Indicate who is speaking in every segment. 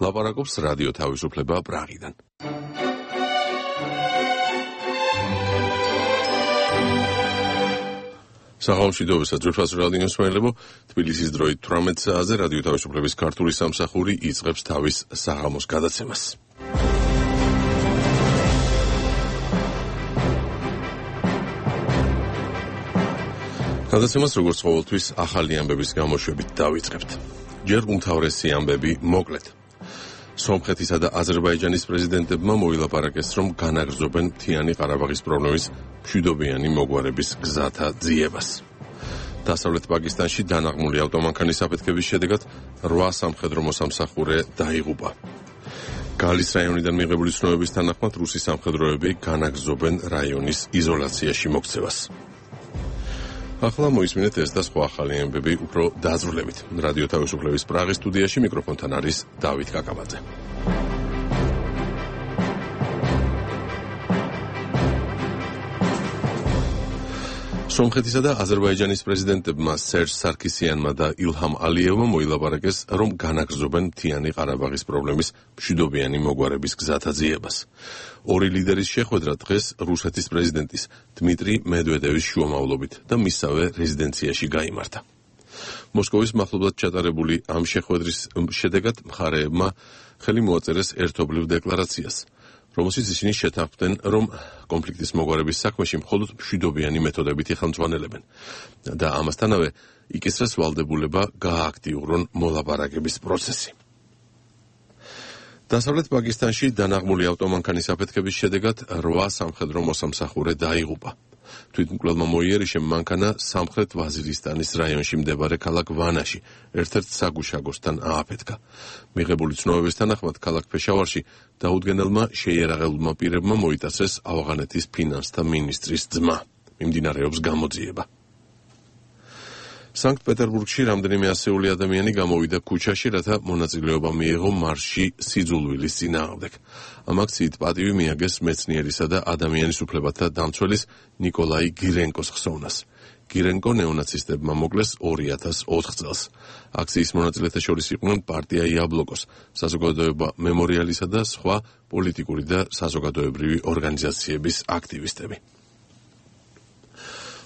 Speaker 1: ლაპარაკობს რადიო თავისუფლება პრაღიდან. საღამოშიდობისა ძვირფას რადიო მსმენელებო, თბილისის დროით 18 საათზე რადიო თავისუფლების ქართული სამსახური იწყებს თავის საღამოს გადაცემას. გადაცემას როგორც ყოველთვის ახალი ამბების გამოშვებით დავიწყებთ. ჯერ უმთავრესი ამბები მოკლედ. სომხეთისა და აზერბაიჯანის პრეზიდენტებმა მოილაპარაკეს, რომ განაგრძობენ მთიანი ყარაბაღის პრობლემის მშვიდობიანი მოგვარების გზათა ძიებას. დასავლეთ პაკისტანში დანაღმული ავტომანქანის აფეთქების შედეგად 8 სამხედრო მოსამსახურე დაიღუპა. გალის რაიონიდან მიღებული ცნობების თანახმად რუსი სამხედროები განაგრძობენ რაიონის იზოლაციაში მოქცევას. ახლა მოისმინეთ ეს და სხვა ახალი ამბები უფრო დაზრდებით. რადიო თავისუფლების პრაღის სტუდიაში მიკროფონთან არის დავით კაკაბაძე. სომხეთისა და აზერბაიჯანის პრეზიდენტებმა სერჟ სარქისიანმა და ილჰამ ალიევმა მოილაპარაკეს, რომ განაგრძობენ მთიანი ყარაბაღის პრობლემის მშვიდობიანი მოგვარების გზათა ძიებას. ორი ლიდერის შეხვედრა დღეს რუსეთის პრეზიდენტის დმიტრი მედვედევის შუამავლობით და მისსავე რეზიდენციაში გაიმართა. მოსკოვის მახლობლად ჩატარებული ამ შეხვედრის შედეგად მხარეებმა ხელი მოაწერეს ერთობლივ დეკლარაციას, რომელშიც ისინი შეთანხმდნენ, რომ კონფლიქტის მოგვარების საქმეში მხოლოდ მშვიდობიანი მეთოდებით იხელმძღვანელებენ და ამასთანავე იკისრეს ვალდებულება გაააქტიურონ მოლაპარაკების პროცესი. დასავლეთ პაკისტანში დანაღმული ავტომანქანის აფეთქების შედეგად 8 სამხედრო მოსამსახურე დაიღუპა. თვითმკვლელმა მოიერიშე მანქანა სამხრეთ ვაზირისტანის რაიონში მდებარე ქალაქ ვანაში ერთ-ერთ საგუშაგოსთან ააფეთქა. მიღებული ცნობების თანახმად ქალაქ ფეშავარში დაუდგენელმა შეიარაღებულმა პირებმა მოიტაცეს ავღანეთის ფინანსთა მინისტრის ძმა. მიმდინარეობს გამოძიება. სანქტ-პეტერბურგში რამდენიმე ასეული ადამიანი გამოვიდა ქუჩაში, რათა მონაწილეობა მიეღო მარშში სიძულვილის წინააღმდეგ. ამ აქციით პატივი მიაგეს მეცნიერისა და ადამიანის უფლებათა დამცველის ნიკოლაი გირენკოს ხსოვნას. გირენკო ნეონაცისტებმა მოკლეს 2004 წელს. აქციის მონაწილეთა შორის იყვნენ პარტია იაბლოკოს, საზოგადოება მემორიალისა და სხვა პოლიტიკური და საზოგადოებრივი ორგანიზაციების აქტივისტები.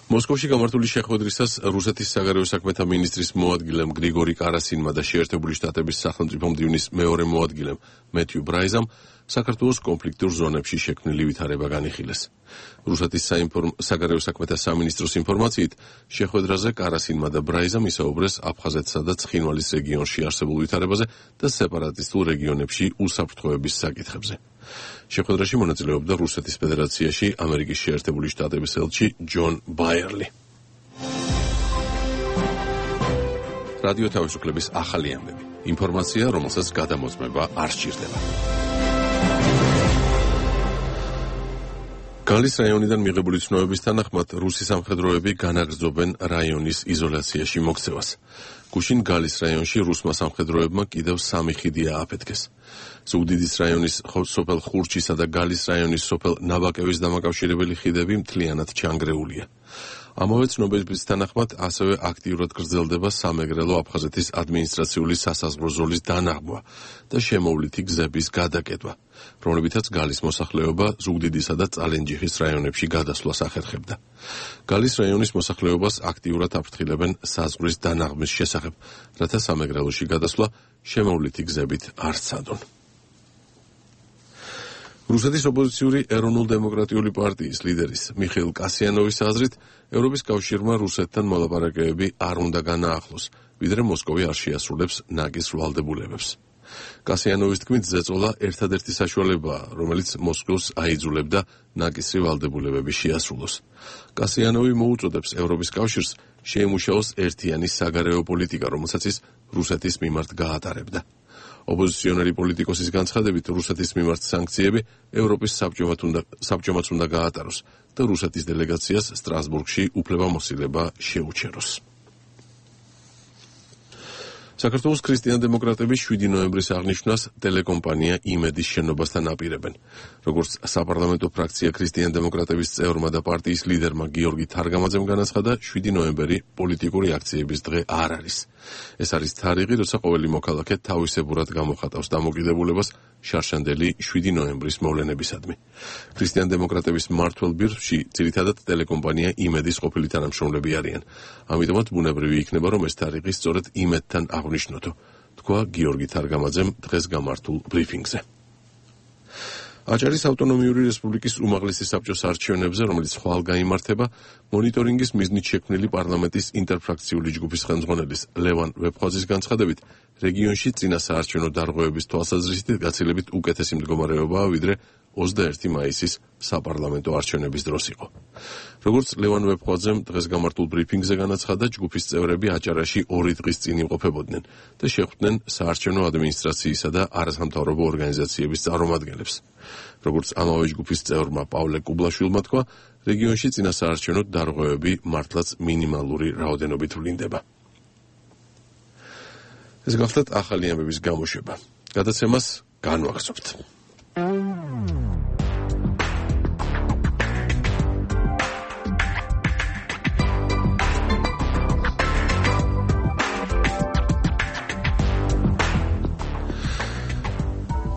Speaker 1: მოსკოვში გამართული შეხვედრისას რუსეთის საგარეო საქმეთა მინისტრის მოადგილემ გრიგორი კარასინმა და შეერთებული შტატების სახელმწიფო მდივნის მეორე მოადგილემ მეთიუ ბრაიზამ საქართველოს კონფლიქტურ ზონებში შექმნილი ვითარება განიხილეს. რუსეთის საგარეო საქმეთა სამინისტროს ინფორმაციით, შეხვედრაზე კარასინმა და ბრაიზამ ისაუბრეს აფხაზეთსა და ცხინვალის რეგიონში არსებულ ვითარებაზე და სეპარატისტულ რეგიონებში უსაფრთხოების საკითხებზე. შეხვედრაში მონაწილეობდა რუსეთის ფედერაციაში ამერიკის შეერთებული შტატების ელჩი ჯონ ბაიერლი. რადიო თავისუფლების ახალი ამბები. ინფორმაცია, რომელსაც გადამოწმება არ სჭირდება. გალის რაიონიდან მიღებული ცნობების თანახმად რუსი სამხედროები განაგრძობენ რაიონის იზოლაციაში მოქცევას. გუშინ გალის რაიონში რუსმა სამხედროებმა კიდევ 3 ხიდი ააფეთქეს. ზუგდიდის რაიონის სოფელ ხურჩისა და გალის რაიონის სოფელ ნაბაკევის დამაკავშირებელი ხიდები მთლიანად ჩანგრეულია. ამავე ცნობების თანახმად ასევე აქტიურად გრძელდება სამეგრელო აფხაზეთის ადმინისტრაციული სასაზღვრო ზოლის დანაღმვა და შემოვლითი გზების გადაკეტვა, რომლებითაც გალის მოსახლეობა ზუგდიდისა და წალენჯიხის რაიონებში გადასვლას ახერხებდა. გალის რაიონის მოსახლეობას აქტიურად აფრთხილებენ საზღვრის დანაღმვის შესახებ, რათა სამეგრელოში გადასვლა შემოვლითი გზებით არ სცადონ. რუსეთის ოპოზიციური ეროვნულ-დემოკრატიული პარტიის ლიდერის მიხეილ კასიანოვის აზრით, ევროპის კავშირმა რუსეთთან მოლაპარაკებები არ უნდა განაახლოს, ვიდრე მოსკოვი არ შეასრულებს ნაკის ვალდებულებებს. კასიანოვის თქმით, ზეწოლა ერთადერთი საშუალებაა, რომელიც მოსკოვს აიძულებდა ნაკისრი ვალდებულებები შეასრულოს. კასიანოვი მოუწოდებს ევროპის კავშირს შეიმუშაოს ერთიანი საგარეო პოლიტიკა, რომელსაც ის რუსეთის მიმართ გაატარებდა. ოპოზიციონერი პოლიტიკოსის განცხადებით, რუსეთის მიმართ სანქციები ევროპის საბჭომაც უნდა გაატაროს და რუსეთის დელეგაციას სტრასბურგში უფლებამოსილება შეუჩეროს. საქართველოს ქრისტიან-დემოკრატები 7 ნოემბრის აღნიშვნას ტელეკომპანია იმედის შენობასთან აპირებენ. როგორც საპარლამენტო ფრაქცია ქრისტიან-დემოკრატების წევრმა და პარტიის ლიდერმა გიორგი თარგამაძემ განაცხადა, 7 ნოემბერი პოლიტიკური აქციების დღე არ არის. ეს არის თარიღი, როცა ყოველი მოქალაქე თავისებურად გამოხატავს დამოკიდებულებას შარშანდელი 7 ნოემბრის მოვლენებისადმი. ქრისტიან-დემოკრატების მმართველ ბირთვში ძირითადად ტელეკომპანია იმედის ყოფილი თანამშრომლები არიან. ამიტომაც ბუნებრივი იქნება, რომ ეს თარიღი სწორედ იმედთან აღნიშნოთო, თქვა გიორგი თარგამაძემ დღეს გამართულ ბრიფინგზე. აჭარის ავტონომიური რესპუბლიკის უმაღლესი საბჭოს არჩევნებზე, რომელიც ხვალ გაიმართება, მონიტორინგის მიზნით შექმნილი პარლამენტის ინტერფრაქციული ჯგუფის ხელმძღვანელის ლევან ვეფხვაძის განცხადებით, რეგიონში წინა საარჩევნო დარღვევების თვალსაზრისით გაცილებით უკეთესი მდგომარეობაა, ვიდრე 21 მაისის საპარლამენტო არჩევნების დროს იყო. როგორც ლევან ვეფხვაძემ დღეს გამართულ ბრიფინგზე განაცხადა, ჯგუფის წევრები აჭარაში 2 დღის წინ იმყოფებოდნენ და შეხვდნენ საარჩევნო ადმინისტრაციისა და არასამთავრობო ორგანიზაციების წარმომადგენლებს. როგორც ამავე ჯგუფის წევრმა პავლე კუბლაშვილმა თქვა, რეგიონში წინა საარჩევნო დარღვევები მართლაც მინიმალური რაოდენობით ვლინდება. ეს გახლდათ ახალი ამბების გამოშვება. გადაცემას განვაგრძობთ.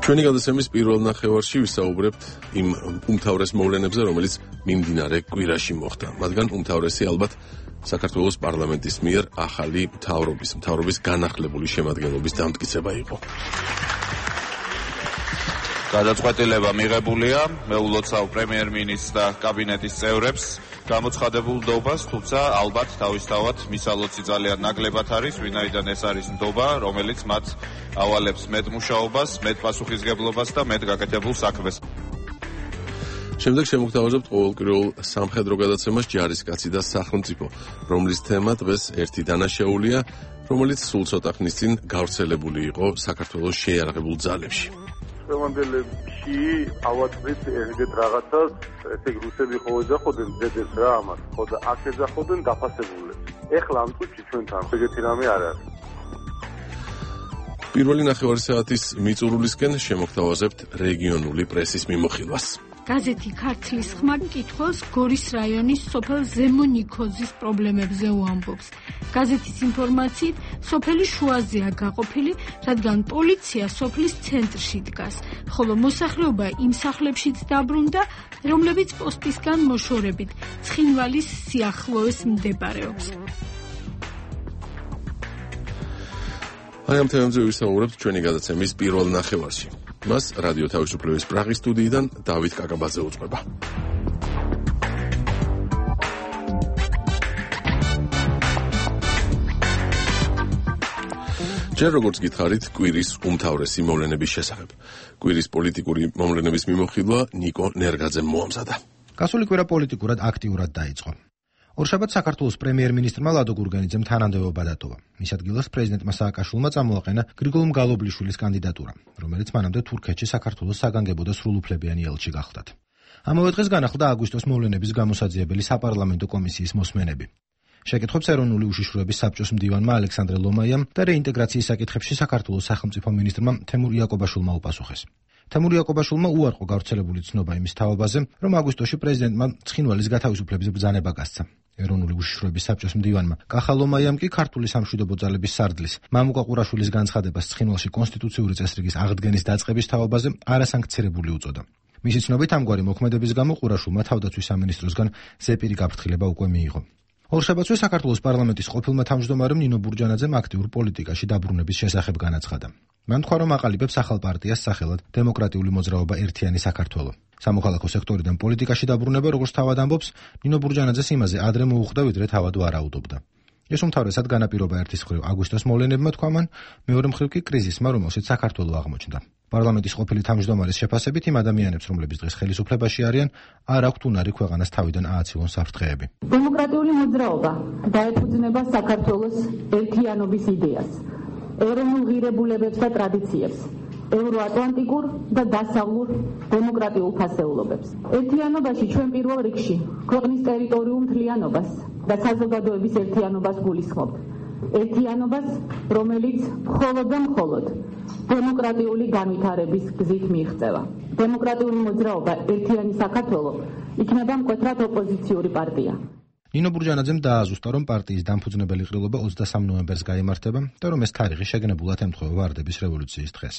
Speaker 1: ჩვენი გადაცემის პირველ ნახევარში ვისაუბრებთ იმ უმთავრეს მოვლენებზე, რომელიც მიმდინარე კვირაში მოხდა. მათგან უმთავრესი ალბათ საქართველოს პარლამენტის მიერ ახალი მთავრობის განახლებული შემადგენლობის დამტკიცება იყო.
Speaker 2: გადაწყვეტილება მიღებულია, მე ულოცავ პრემიერ-მინისტრს და კაბინეტის წევრებს გამოცხადებულ ნდობას, თუმცა ალბათ თავისთავად მისალოცი ძალიან ნაკლებად არის, ვინაიდან ეს არის ნდობა, რომელიც მათ ავალებს მეტ მუშაობას, მეტ პასუხისგებლობას და მეტ გაკეთებულ საქმეს.
Speaker 1: შემდეგ შემოგთავაზებთ ყოველკვირეულ სამხედრო გადაცემას ჯარისკაცი და სახელმწიფო, რომლის თემა დღეს ერთი დანაშაულია, რომელიც სულ ცოტა ხნის წინ გავრცელებული იყო საქართველოს შეიარაღებულ ძალებში.
Speaker 3: ხევანდელებში ავაწვით ეგეთ რაღაცას, ესე რუსები ხო ეძახოდნენ ძედებს რა ამას, ხო და აქ ეძახოდნენ დაფასებულებს. ეხლა ამ წუთში ჩვენთან ეგეთი რამე არ არის.
Speaker 1: პირველი ნახევარი საათის მიწურულისკენ შემოგთავაზებთ რეგიონული პრესის მიმოხილვას.
Speaker 4: გაზეთი ქართლის ხმა კითხავს გორის რაიონის სოფელ ზემონიქოზის პრობლემებზე უამბობს. გაზეთის ინფორმაციით, სოფელი შუაზეა გაყოფილი, რადგან პოლიცია სოფლის ცენტრში დგას, ხოლო მოსახლეობა იმ სახლებშიც დაბრუნდა, რომლებიც პოსტისგან მოშორებით ცხინვალის სიახლოვეს მდებარეობს.
Speaker 1: აი ამ თემებზე ვისაუბრებთ ჩვენი გადაცემის პირველ ნახევარში. მას რადიო თავისუფლების პრაღის სტუდიიდან დავით კაკაბაძე უძღვება. ჯერ როგორც გითხარით, კვირის უმთავრესი მოვლენების შესახებ. კვირის პოლიტიკური მოვლენების მიმოხილვა ნიკო ნერგაძემ მოამზადა.
Speaker 5: გასული კვირა პოლიტიკურად აქტიურად დაიწყო. ორშაბათს საქართველოს პრემიერ-მინისტრმა ლადო გურგენიძემ თანამდებობა დატოვა. მის ადგილას პრეზიდენტმა სააკაშვილმა წამოაყენა გრიგოლ მგალობლიშვილის კანდიდატურა, რომელიც მანამდე თურქეთში საქართველოს საგანგებო და სრულუფლებიანი ელჩი გახლდათ. ამავე დღეს განახლდა აგვისტოს მოვლენების გამოსაძიებელი საპარლამენტო კომისიის მოსმენები. შეკითხვებს ეროვნული უშიშროების საბჭოს მდივანმა ალექსანდრე ლომაიამ და რეინტეგრაციის საკითხებში საქართველოს სახელმწიფო მინისტრმა თემურ იაკობაშვილმა უპასუხეს. თემურ იაკობაშვილმა უარყო გავრცელებული ცნობა იმის თავობაზე, რომ აგვისტოში პრეზიდენტმა ცხინვალის გათავისუფლების ბრძანება გასცა. ეროვნული უშიშროების საბჭოს მდივანმა კახა ლომაიამ კი ქართული სამშვიდობო ძალების სარდლის მამუკა ყურაშვილის განცხადებას ცხინვალში კონსტიტუციური წესრიგის აღდგენის დაწყების თავობაზე არასანქცირებული უწოდა. მისი ცნობით ამგვარი მოქმედების გამო ყურაშვილმა თავდაცვის სამინისტროსგან ზეპირი გაფრთხილება უკვე მიიღო. ორშაბათსვე საქართველოს პარლამენტის ყოფილმა თავმჯდომარემ ნინო ბურჯანაძემ აქტიურ პოლიტიკაში დაბრუნების შესახებ განაცხადა. მან თქვა, რომ აყალიბებს ახალ პარტიას სახელად დემოკრატიული მოძრაობა ერთიანი საქართველო. სამოქალაქო სექტორიდან პოლიტიკაში დაბრუნება, როგორც თავად ამბობს, ნინო ბურჯანაძეს იმაზე ადრე მოუხდა, ვიდრე თავად ვარაუდობდა. ეს უმთავრესად განაპირობა ერთის მხრივ აგვისტოს მოვლენებმა, თქვა მან, მეორე მხრივ კი კრიზისმა, რომელშიც საქართველო აღმოჩნდა. პარლამენტის ყოფილი თავმჯდომარის შეფასებით იმ ადამიანებს, რომლებიც დღეს ხელისუფლებაში არიან, არ აქვთ უნარი ქვეყანას თავიდან ააცილონ საფრთხეები.
Speaker 6: დემოკრატიული მოძრაობა დაეფუძნება საქართველოს ერთიანობის იდეას, ეროვნულ ღირებულებებს და ტრადიციებს, ევროატლანტიკურ და დასავლურ დემოკრატიულ ფასეულობებს. ერთიანობაში ჩვენ პირველ რიგში ქვეყნის ტერიტორიულ მთლიანობას და საზოგადოების ერთიანობას გულისხმობთ. ერთიანობას, რომელიც მხოლოდ და მხოლოდ დემოკრატიული განვითარების გზით მიიღწევა. დემოკრატიული მოძრაობა ერთიანი საქართველო იქნება მკვეთრად ოპოზიციური პარტია.
Speaker 5: ნინო ბურჯანაძემ დააზუსტა, რომ პარტიის დამფუძნებელი ყრილობა 23 ნოემბერს გაიმართება და რომ ეს თარიღი შეგნებულად ემთხვევა ვარდების რევოლუციის დღეს.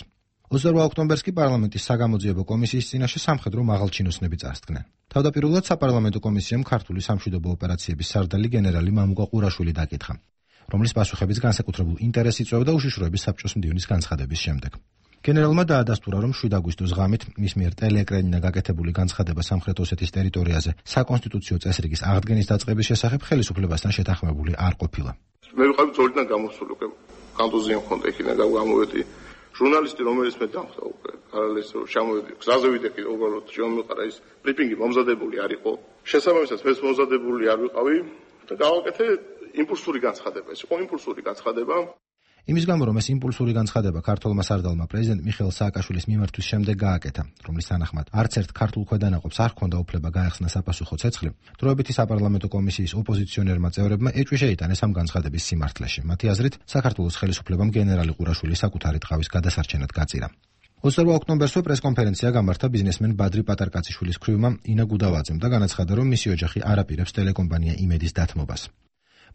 Speaker 5: 28 ოქტომბერს კი პარლამენტის საგამოძიებო კომისიის წინაშე სამხედრო მაღალჩინოსნები წარსდგნენ. თავდაპირველად საპარლამენტო კომისიამ ქართული სამშვიდობო ოპერაციების სარდალი გენერალი მამუკა ყურაშვილი დაკითხა, რომლის პასუხებიც განსაკუთრებულ ინტერესს იწვევდა უშიშროების საბჭოს მდივნის განცხადების შემდეგ. გენერალმა დაადასტურა, რომ 7 აგვისტოს ღამით მის მიერ ტელეეკრანიდან გაკეთებული განცხადება სამხრეთ ოსეთის ტერიტორიაზე საკონსტიტუციო წესრიგის აღდგენის დაწყების შესახებ ხელისუფლებასთან შეთანხმებული არ ყოფილა.
Speaker 7: მე ვიყავი ძორიდან გამოსული უკვე კანტონზე მქონდა იქიდან გამოვედი ჟურნალისტი, რომელიც მე დამხდა უკვე პარალელს ჩამოვედი გზაზე ვიდექი უბრალოდ შემომიყარა ის ბრიფინგი მომზადებული არ იყო. შესაბამისად მეც მომზადებული არ ვიყავი და გავაკეთე იმპულსური განცხადება. ეს იყო იმპულსური განცხადება.
Speaker 5: იმის გამო, რომ ეს იმპულსური განცხადება ქართულმა სარდალმა პრეზიდენტ მიხეილ სააკაშვილის მიმართვის შემდეგ გააკეთა, რომლის თანახმად არც ერთ ქართულ ქვედანაყოფს არ ჰქონდა უფლება გაეხსნა საპასუხო ცეცხლი, დროებითი საპარლამენტო კომისიის ოპოზიციონერმა წევრებმა ეჭვი შეიტანეს ამ განცხადების სიმართლეში. მათი აზრით, საქართველოს ხელისუფლებამ გენერალი ყურაშვილი საკუთარი ტყავის გადასარჩენად გაწირა. 28 ოქტომბერსვე პრესკონფერენცია გამართა ბიზნესმენ ბადრი პატარკაციშვილის ქვრივმა ინა გუდავაძემ და განაცხადა, რომ მისი ოჯახი არ აპირებს ტელეკომპანია იმედის დათმობას.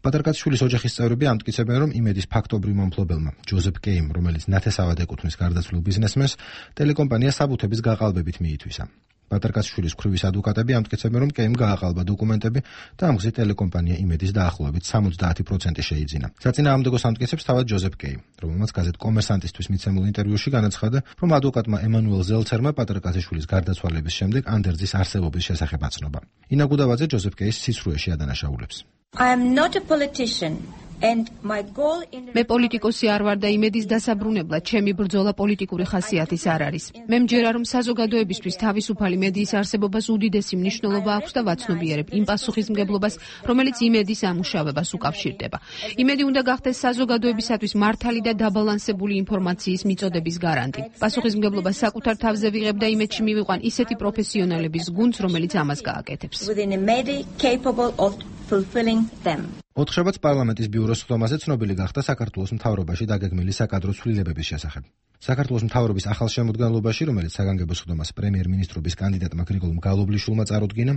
Speaker 5: პატარკაციშვილის ოჯახის წევრები ამტკიცებენ, რომ იმედის ფაქტობრივ მომფლობელმა ჯოზეფ კეიმ, რომელიც ნათესავად ეკუთვნის გარდაცვლილ ბიზნესმენს, ტელეკომპანია საბუთების გაყალბებით მიითვისა. პატარკაციშვილის ქვრივის ადვოკატები ამტკიცებენ, რომ კეიმ გააყალბა დოკუმენტები და ამ გზით ტელეკომპანია იმედის დაახლოებით 70% შეიძინა. საწინააღმდეგოს ამტკიცებს თავად ჯოზეფ კეიმ, რომელმაც გაზეთ კომერსანტისთვის მიცემულ ინტერვიუში განაცხადა, რომ ადვოკატმა ემანუელ ზელცერმა პატარკაციშვილის გარდაცვალების შემდეგ ანდერძის არსებობის შესახებ აცნობა. ინა გუდავაძე ჯოზეფ კეის სიცრუეში ადანაშაულებს.
Speaker 8: I am not a politician and my goal in
Speaker 9: მე პოლიტიკოსი არ ვარ და იმედის დასაბრუნებლად ჩემი ბრძოლა პოლიტიკური ხასიათის არ არის. მე მჯერა, რომ საზოგადოებისთვის თავისუფალი მედიის არსებობას უდიდესი მნიშვნელობა აქვს და ვაცნობიერებ იმ პასუხისმგებლობას, რომელიც იმედის ამუშავებას უკავშირდება. იმედი უნდა გახდეს საზოგადოებისათვის მართალი და დაბალანსებული ინფორმაციის მიწოდების გარანტი. პასუხისმგებლობას საკუთარ თავზე ვიღებ და იმედში მივიყვან ისეთი პროფესიონალების გუნდს, რომელიც ამას გააკეთებს.
Speaker 5: ოთხშაბათს პარლამენტის ბიუროს ხდომაზე ცნობილი გახდა საქართველოს მთავრობაში დაგეგმილი საკადრო ცვლილებების შესახებ. საქართველოს მთავრობის ახალშემოდგენლობაში, რომელიც საგანგებო ხდომას პრემიერ-მინისტრობის კანდიდატმა გრიგოლ გალობლიშვილმა წარუდგინა,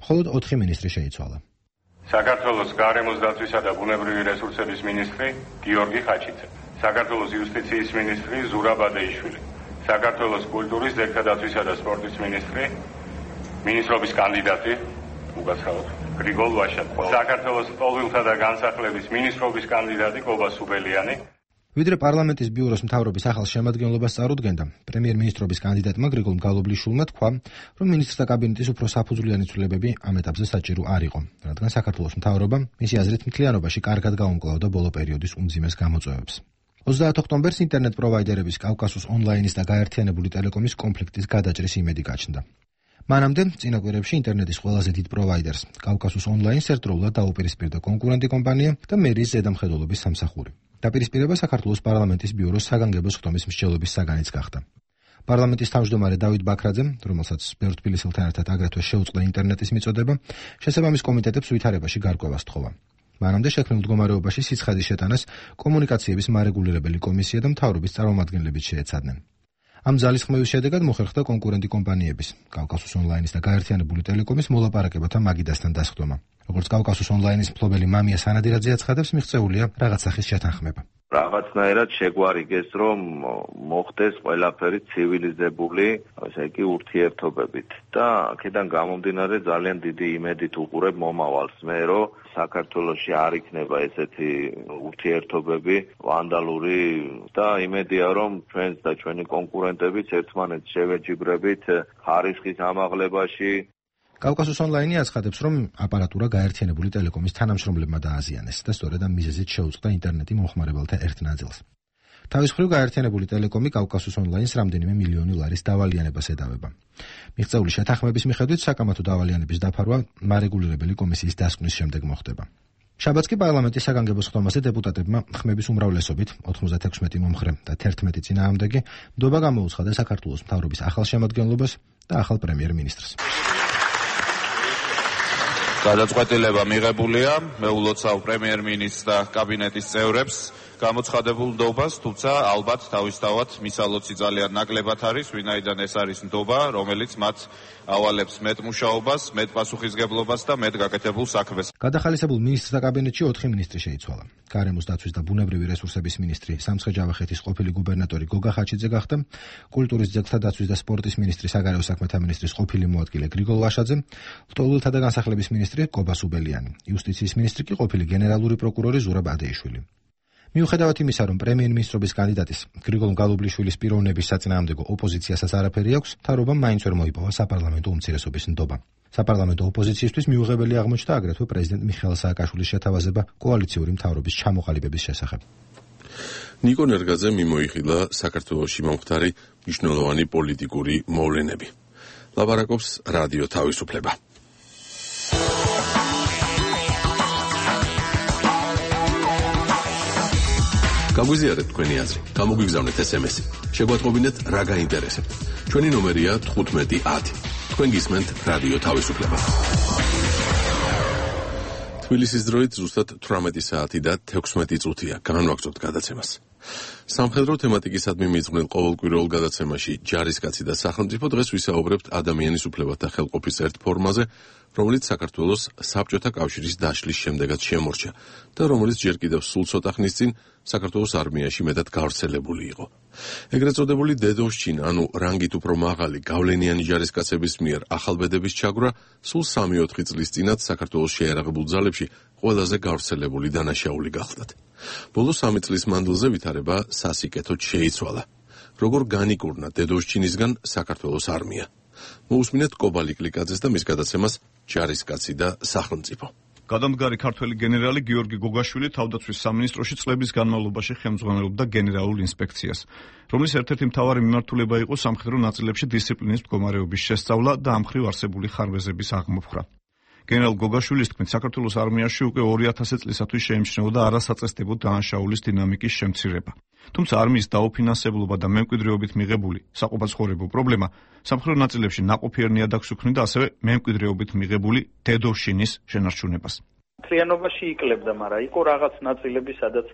Speaker 5: მხოლოდ 4 მინისტრი შეიცვალა.
Speaker 10: საქართველოს გარემოს დაცვისა და ბუნებრივი რესურსების მინისტრი გიორგი ხაჩიძე, საქართველოს იუსტიციის მინისტრი ზურაბ ადეიშვილი, საქართველოს კულტურის, ძეგლთადაცვისა და სპორტის მინისტრი, მინისტრობის კანდიდატი უგაცრავად გრიგოლ ვაშაკო, საქართველოს პოლვილთა და განსახლების მინისტრობის კანდიდატი გობა სუბელიანი.
Speaker 5: ვიდრე პარლამენტის ბიუროს მთავრობის ახალ შემადგენლობას წარუდგენდა, პრემიერ-მინისტრობის კანდიდატმა გრიგოლ გალობლიშვილმა თქვა, რომ მინისტრთა კაბინეტის უფრო საფუძვლიანი ცვლილებები ამ ეტაპზე საჭირო არ იყო, რადგან საქართველოს მთავრობა მისი აზრით მთლიანობაში კარგად გაუმკლავდა ბოლო პერიოდის უმძიმეს გამოწვევებს. 30 ოქტომბერს ინტერნეტ პროვაიდერების კავკასუს ონლაინის და გაერთიანებული ტელეკომის კონფლიქტის გადაჭრის იმედი გაჩნდა. მანამდე წინა კვირებში ინტერნეტის ყველაზე დიდ პროვაიდერს, კავკასუს ონლაინს ერთდროულად დაუპირისპირდა კონკურენტი კომპანია და მერის ზედამხედველობის სამსახური. დაპირისპირება საქართველოს პარლამენტის ბიუროს საგანგებო ხდომის მსჯელობის საგანიც გახდა. პარლამენტის თავმჯდომარე დავით ბაქრაძემ, რომელსაც ბევრ თბილისელთან ერთად აგრეთვე შეუწყდა ინტერნეტის მიწოდება, შესაბამის კომიტეტებს ვითარებაში გარკვევას თხოვა. მანამდე შექმნილ მდგომარეობაში სიცხადის შეტანას კომუნიკაციების მარეგულირებელი კომისია და მთავრობის წარმომადგენლები შეეცადნენ. ამ ძალისხმევის შედეგად მოხერხდა კონკურენტი კომპანიების, კავკასუს ონლაინის და გაერთიანებული ტელეკომის მოლაპარაკებათა მაგიდასთან დასხდომა. როგორც კავკასუს ონლაინის მფლობელი მამია სანადირაძე აცხადებს, მიღწეულია რაღაც სახის შეთანხმება.
Speaker 11: რაღაცნაირად შეგვარიგეს, რომ მოხდეს ყველაფერი ცივილიზებული, ასე იგი ურთიერთობებით და აქედან გამომდინარე ძალიან დიდი იმედით უყურებ მომავალს მე, რომ საქართველოში არ იქნება ესეთი ურთიერთობები ვანდალური და იმედია, რომ ჩვენს და ჩვენი კონკურენტებიც ერთმანეთს შევეჯიბრებით ხარისხის ამაღლებაში.
Speaker 5: კავკასუს ონლაინი აცხადებს, რომ აპარატურა გაერთიანებული ტელეკომის თანამშრომლებმა დააზიანეს და სწორედ ამ მიზეზით შეუწყდა ინტერნეტი მომხმარებელთა ერთ ნაწილს. თავის მხრივ გაერთიანებული ტელეკომი კავკასუს ონლაინს რამდენიმე მილიონი ლარის დავალიანებას ედავება. მიღწეული შეთანხმების მიხედვით საკამათო დავალიანების დაფარვა მარეგულირებელი კომისიის დასკვნის შემდეგ მოხდება. შაბათს კი პარლამენტის საგანგებო ხდომაზე დეპუტატებმა ხმების უმრავლესობით 96 მომხრე და 11 წინააღმდეგი ნდობა გამოუცხადა საქართველოს მთავრობის ახალ შემადგენლობას და ახალ პრემიერ-მინისტრს.
Speaker 2: გადაწყვეტილება მიღებულია, მე ულოცავ პრემიერ-მინისტრს და კაბინეტის წევრებს გამოცხადებულ ნდობას, თუმცა ალბათ თავისთავად მისალოცი ძალიან ნაკლებად არის, ვინაიდან ეს არის ნდობა, რომელიც მათ ავალებს მეტ მუშაობას, მეტ პასუხისგებლობას და მეტ გაკეთებულ საქმეს.
Speaker 5: გადახალისებულ მინისტრთა კაბინეტში 4 მინისტრი შეიცვალა. გარემოს დაცვის და ბუნებრივი რესურსების მინისტრი სამცხე-ჯავახეთის ყოფილი გუბერნატორი გოგა ხაჩიძე გახდა, კულტურის ძეგლთა დაცვის და სპორტის მინისტრი საგარეო საქმეთა მინისტრის ყოფილი მოადგილე გრიგოლ ვაშაძე, ლტოლვილთა და განსახლების მინისტრი კობა სუბელიანი, იუსტიციის მინისტრი კი ყოფილი გენერალური პროკურორი ზურაბ ადეიშვილი. მიუხედავად იმისა, რომ პრემიერ-მინისტრობის კანდიდატის გრიგოლ მგალობლიშვილის პიროვნების საწინააღმდეგო ოპოზიციასაც არაფერი აქვს, მთავრობამ მაინც ვერ მოიპოვა საპარლამენტო უმცირესობის ნდობა. საპარლამენტო ოპოზიციისთვის მიუღებელი აღმოჩნდა აგრეთვე პრეზიდენტ მიხეილ სააკაშვილის შეთავაზება კოალიციური მთავრობის ჩამოყალიბების შესახებ.
Speaker 1: ნიკო ნერგაძე მიმოიხილა საქართველოში მომხდარი მნიშვნელოვანი პოლიტიკური მოვლენები. ლაპარაკობს რადიო თავისუფლება. გაგვიზიარეთ თქვენი აზრი, გამოგვიგზავნეთ SMS-ი, შეგვატყობინეთ რა გაინტერესებთ. ჩვენი ნომერია 1510. თქვენ გისმენთ რადიო თავისუფლება. თბილისის დროით ზუსტად 18 საათი და 16 წუთია განვაგრძობთ გადაცემას. სამხედრო თემატიკისადმი მიძღვნილ ყოველკვირეულ გადაცემაში ჯარისკაცი და სახელმწიფო დღეს ვისაუბრებთ ადამიანის უფლებათა ხელყოფის ერთ ფორმაზე, რომელიც საქართველოს საბჭოთა კავშირის დაშლის შემდეგაც შემორჩა და რომელიც ჯერ კიდევ სულ ცოტა ხნის წინ საქართველოს არმიაში მეტად გავრცელებული იყო. ეგრეთ წოდებული დედოვშჩინა, ანუ რანგით უფრო მაღალი გავლენიანი ჯარისკაცების მიერ ახალბედების ჩაგვრა სულ 3-4 წლის წინათ საქართველოს შეიარაღებულ ძალებში ყველაზე გავრცელებული დანაშაული გახლდათ. ბოლო 3 წლის მანძილზე ვითარება სასიკეთოდ შეიცვალა. როგორ განიკურნა დედოვშჩინისგან საქართველოს არმია. მოусმინეთ კობალი კლიკაძეს და მის გადაცემას ჯარისკაცი და სახელმწიფო.
Speaker 12: გადამდგარი ქართველი გენერალი გიორგი გოგაშვილი თავდაცვის სამინისტროში წლების განმავლობაში ხელმძღვანელობდა გენერალურ ინსპექციას, რომლის ერთ-ერთი მთავარი მიმართულება იყო სამხედრო ნაწილებში დისციპლინის მდგომარეობის შესწავლა და ამ მხრივ არსებული ხარბეზების აღმოფხვრა. გენერალ გოგაშვილის თქმით, საქართველოს არმიაში უკვე 2000 წლისათვის შეიმჩნეოდა არასაწესდებო დანაშაულის დინამიკის შემცირება. თუმცა არმიის დაუფინანსებლობა და მემკვიდრეობით მიღებული საყოფაცხოვრებო პრობლემა სამხედრო ნაწილებში ნაყოფიერ ნიადაგს უქმნიდა ასევე მემკვიდრეობით მიღებული დედოვშინის შენარჩუნებას.
Speaker 13: მთლიანობაში იკლებდა, მაგრამ იყო რაღაც ნაწილები, სადაც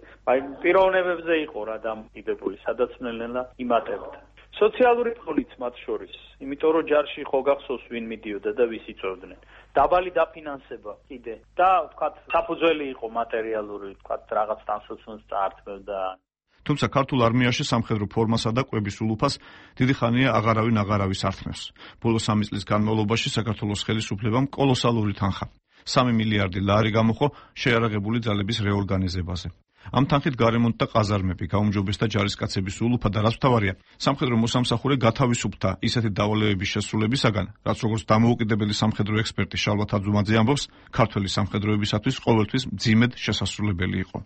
Speaker 13: პიროვნებებზე იყო რა დამოკიდებული, სადაც ნელ-ნელა იმატებდა. სოციალური ფონიც მათ შორის, იმიტომ რომ ჯარში ხო გახსოვს ვინ მიდიოდა და ვის იწვევდნენ. დაბალი დაფინანსება კიდე და ვთქვათ საფუძველი იყო მატერიალური, ვთქვათ რაღაც თანსაცმელს წაართმევდა.
Speaker 12: თუმცა ქართულ არმიაში სამხედრო ფორმასა და კვების ულუფას დიდი ხანია აღარავის ართმევს. ბოლო 3 წლის განმავლობაში საქართველოს ხელისუფლებამ კოლოსალური თანხა 3 მილიარდი ლარი გამოხო შეიარაღებული ძალების რეორგანიზებაზე. ამ თანხით გარემონტდა ყაზარმები, გაუმჯობესდა ჯარისკაცების ულუფა და რაც მთავარია, სამხედრო მოსამსახურე გათავისუფლდა ისეთი დავალებების შესრულებისაგან, რაც როგორც დამოუკიდებელი სამხედრო ექსპერტი შალვა თაძუმაძე ამბობს, ქართველი სამხედროებისათვის ყოველთვის მძიმედ შესასრულებელი იყო.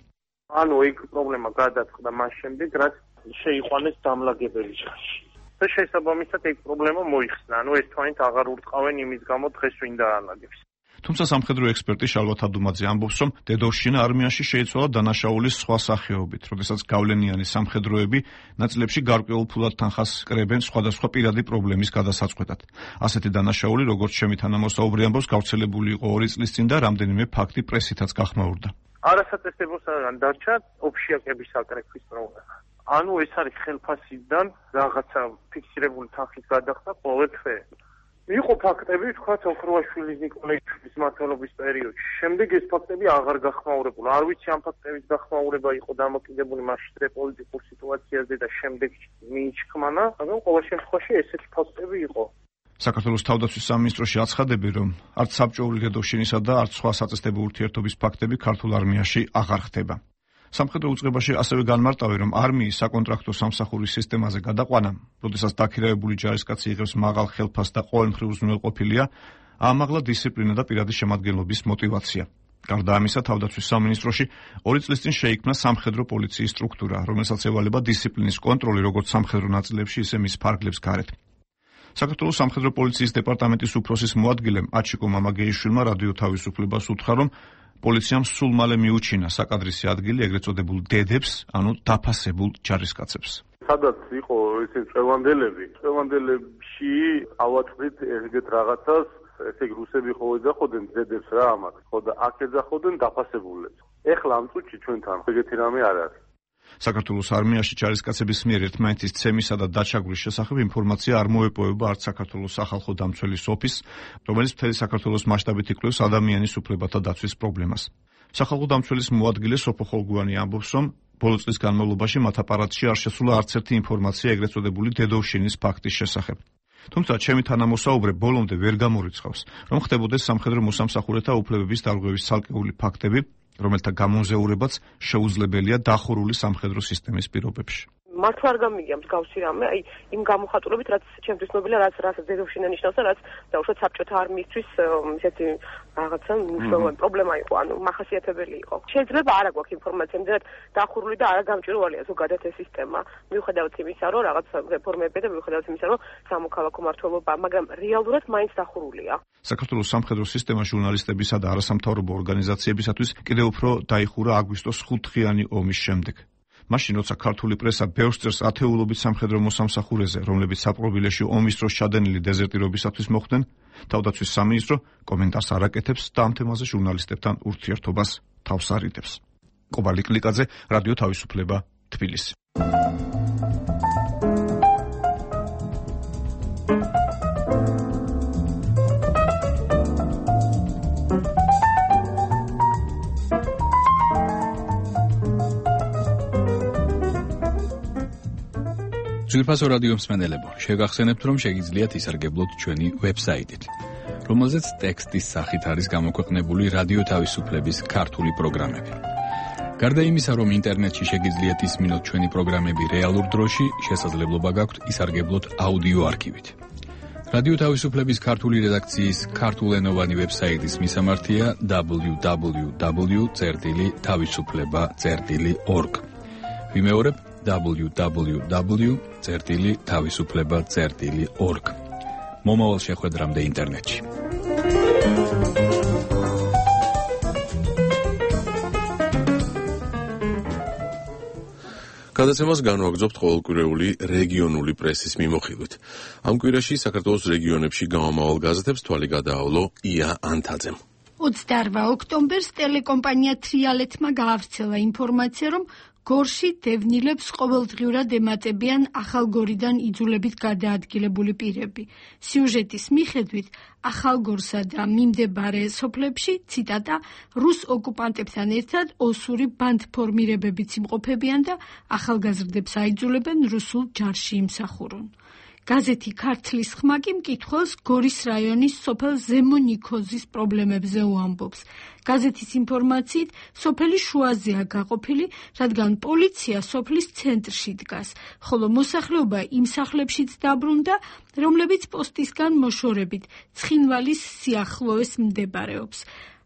Speaker 3: ანუ ეგ პრობლემა გადაწყდა მას შემდეგ, რაც შეიყვანეს დამლაგებელი ჯარში. და შესაბამისად ეგ პრობლემა მოიხსნა. ანუ ეს თვალით აღარ ურტყავენ იმის გამო დღეს ვინ დაალაგებს.
Speaker 12: თუმცა სამხედრო ექსპერტი შალვა თაძუმაძე ამბობს, რომ დედოვშჩინა არმიაში შეიცვალა დანაშაულის სხვა სახეობით, როდესაც გავლენიანი სამხედროები ნაწილებში გარკვეულ ფულად თანხას კრებენ სხვადასხვა პირადი პრობლემის გადასაწყვეტად. ასეთი დანაშაული, როგორც ჩემი თანამოსაუბრი ამბობს, გავრცელებული იყო 2 წლის წინ და რამდენიმე ფაქტი პრესითაც გახმაურდა.
Speaker 3: არასაწესდებოსგან დარჩა ოფშიაკების აკრეფის პრობლემა. ანუ ეს არის ხელფასიდან რაღაცა ფიქსირებული თანხით გადახდა ყოველთვე. იყო ფაქტები, თქვა ოქროაშვილის ნიკოლაიშვილის მმართველობის პერიოდში. შემდგ ეს ფაქტები აღარ გახმაურებულა. არ ვიცი ამ ფაქტების გახმაურება იყო დამოკიდებული მასშტაბ პოლიტიკურ სიტუაციაზე და შემდეგ მიიჩქმანა, მაგრამ ყოველ შემთხვევაში ესეთი ფაქტები იყო.
Speaker 12: საქართველოს თავდაცვის სამინისტროში აცხადები, რომ არც საბჭოური დედოვშინისა და არც სხვა საწესდებო ურთიერთობის ფაქტები ქართულ არმიაში აღარ ხდება. სამხედრო უწყებაში ასევე განმარტავენ, რომ არმიის საკონტრაქტო სამსახურის სისტემაზე გადაყვანა, როდესაც დაქირავებული ჯარისკაცი იღებს მაღალ ხელფასს და ყოველმხრივ უზრუნველყოფილია, ამაღლა დისციპლინა და პირადი შემადგენლობის мотиваცია. გარდა ამისა, თავდაცვის სამინისტროში 2 წლის წინ შეიქმნა სამხედრო პოლიციის სტრუქტურა, რომელსაც ევალება დისციპლინის კონტროლი როგორც სამხედრო ნაწილებში, ისე მის ფარგლებს გარეთ. საქართველოს სამხედრო პოლიციის დეპარტამენტის უფროსის მოადგილემ აჩიკო მამაგეიშვილმა რადიო თავისუფლებას უთხრა, რომ პოლიციამ სულ მალე მიუჩინა საკადრისი ადგილი ეგრეთ წოდებულ დედებს, ანუ დაფასებულ ჯარისკაცებს.
Speaker 3: სადაც იყო ესე წევანდელები, წევანდელებში ავატყვით ეგეთ რაღაცას ესე იგი რუსები ხო ეძახოდნენ ძედებს რა ამათ, ხო და აქ ეძახოდნენ დაფასებულებს. ეხლა ამ წუთში ჩვენთან ეგეთი რამე არ არის.
Speaker 12: საქართველოს არმიაში ჯარისკაცების მიერ ერთმანეთის ცემისა და დაჩაგვრის შესახებ ინფორმაცია არ მოეპოვება არც საქართველოს სახალხო დამცველის ოფისს, რომელიც მთელი საქართველოს მასშტაბით იკვლევს ადამიანის უფლებათა დაცვის პრობლემას. სახალხო დამცველის მოადგილე სოფო ხოლგუანი ამბობს, რომ ბოლო წლის განმავლობაში მათ აპარატში არ შესულა არც ერთი ინფორმაცია ეგრეთ წოდებული დედოვშინის ფაქტის შესახებ. თუმცა ჩემი თანამოსაუბრე ბოლომდე ვერ გამორიცხავს, რომ ხდებოდეს სამხედრო მოსამსახურეთა უფლებების დარღვევის ცალკეული ფაქტები, რომელთა გამონზეურებაც შეუძლებელია დახურული სამხედრო სისტემის პირობებში.
Speaker 14: მართლა არ გამიგია მსგავსი რამე, აი იმ გამოხატულებით, რაც ჩემთვის ნობილია, რაც დედოვშინა ნიშნავს და რაც დაუშვათ საბჭოთა არმიისთვის ესეთი რაღაცა მნიშვნელოვანი პრობლემა იყო, ანუ მახასიათებელი იყო. შეიძლება არა გვაქვს ინფორმაცია, იმდენად დახურული და არა გამჭვირვალეა ზოგადად ეს სისტემა, მიუხედავად იმისა, რომ რაღაც რეფორმები და მიუხედავად იმისა, რომ სამოქალაქო მმართველობა, მაგრამ რეალურად მაინც დახურულია.
Speaker 12: საქართველოს სამხედრო სისტემა ჟურნალისტებისა და არასამთავრობო ორგანიზაციებისათვის კიდევ უფრო დაიხურა აგვისტოს 5-დღიანი ომის შემდეგ. მაშინ, როცა ქართული პრესა ბევრს წერს ათეულობით სამხედრო მოსამსახურეზე, რომლებიც საპყრობილეში ომის დროს ჩადენილი დეზერტირობისათვის მოხვდნენ, თავდაცვის სამინისტრო კომენტარს არ აკეთებს და ამ თემაზე ჟურნალისტებთან ურთიერთობას თავს არ იდებს. კობალი კლიკაძე, რადიო თავისუფლება, თბილისი.
Speaker 15: ძვირფასო რადიო მსმენელებო, შეგახსენებთ, რომ შეგიძლიათ ისარგებლოთ ჩვენი ვებსაიტით, რომელზეც ტექსტის სახით არის გამოქვეყნებული რადიო თავისუფლების ქართული პროგრამები. გარდა იმისა, რომ ინტერნეტში შეგიძლიათ ისმინოთ ჩვენი პროგრამები რეალურ დროში, შესაძლებლობა გაქვთ ისარგებლოთ აუდიო არქივით. რადიო თავისუფლების ქართული რედაქციის ქართულენოვანი ვებსაიტის მისამართია www.tavisufleba.org. ვიმეორებ www.tavisufleba.org. მომავალ შეხვედრამდე ინტერნეტში.
Speaker 1: გადაცემას განვაგრძობთ ყოველკვირეული რეგიონული პრესის მიმოხილვით. ამ კვირაში საქართველოს რეგიონებში გამომავალ გაზეთებს თვალი გადაავლო ია ანთაძემ.
Speaker 4: 28 ოქტომბერს ტელეკომპანია თრიალეთმა გაავრცელა ინფორმაცია, რომ გორში დევნილებს ყოველდღიურად ემატებიან ახალგორიდან იძულებით გადაადგილებული პირები. სიუჟეტის მიხედვით, ახალგორსა და მიმდებარე სოფლებში, ციტატა, რუს ოკუპანტებთან ერთად ოსური ბანდფორმირებებიც იმყოფებიან და ახალგაზრდებს აიძულებენ რუსულ ჯარში იმსახურონ. გაზეთი ქართლის ხმა კი მკითხველს გორის რაიონის სოფელ ზემო ნიქოზის პრობლემებზე უამბობს. გაზეთის ინფორმაციით, სოფელი შუაზეა გაყოფილი, რადგან პოლიცია სოფლის ცენტრში დგას, ხოლო მოსახლეობა იმ სახლებშიც დაბრუნდა, რომლებიც პოსტისგან მოშორებით ცხინვალის სიახლოვეს მდებარეობს.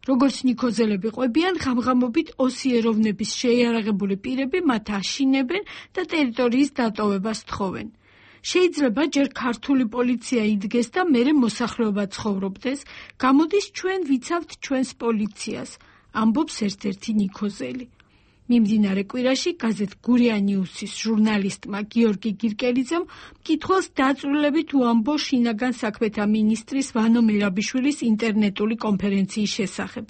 Speaker 4: როგორც ნიქოზელები ყვებიან, ღამღამობით ოსიეროვნების შეიარაღებული პირები მათ აშინებენ და ტერიტორიის დატოვებას თხოვენ. შეიძლება ჯერ ქართული პოლიცია იდგეს და მერე მოსახლეობა ცხოვრობდეს, გამოდის ჩვენ ვიცავთ ჩვენს პოლიციას, ამბობს ერთ-ერთი ნიქოზელი. მიმდინარე კვირაში გაზეთ გურია ნიუსის ჟურნალისტმა გიორგი გირკელიძემ მკითხველს დაწვრილებით უამბო შინაგან საქმეთა მინისტრის ვანო მერაბიშვილის ინტერნეტული კონფერენციის შესახებ.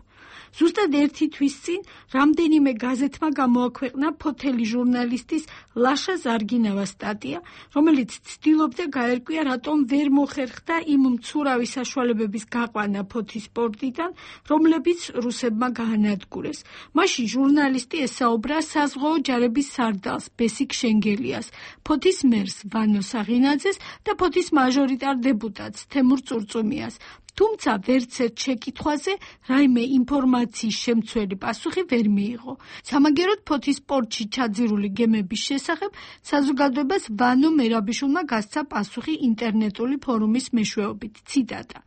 Speaker 4: ზუსტად ერთი თვის წინ რამდენიმე გაზეთმა გამოაქვეყნა ფოთელი ჟურნალისტის ლაშა ზარგინავას სტატია, რომელიც ცდილობდა გაერკვია, რატომ ვერ მოხერხდა იმ მცურავი საშუალებების გაყვანა ფოთის პორტიდან, რომლებიც რუსებმა გაანადგურეს. მაშინ ჟურნალისტი ესაუბრა საზღვაო ჯარების სარდალს ბესიკ შენგელიას, ფოთის მერს ვანო საღინაძეს და ფოთის მაჟორიტარ დეპუტატს თემურ წურწუმიას. თუმცა ვერცერთ შეკითხვაზე რაიმე ინფორმაციის შემცველი პასუხი ვერ მიიღო. სამაგეროდ ფოთის პორტში ჩაძირული გემების შესახებ საზოგადოებას ვანო მერაბიშვილმა გასცა პასუხი ინტერნეტული ფორუმის მეშვეობით. ციტატა: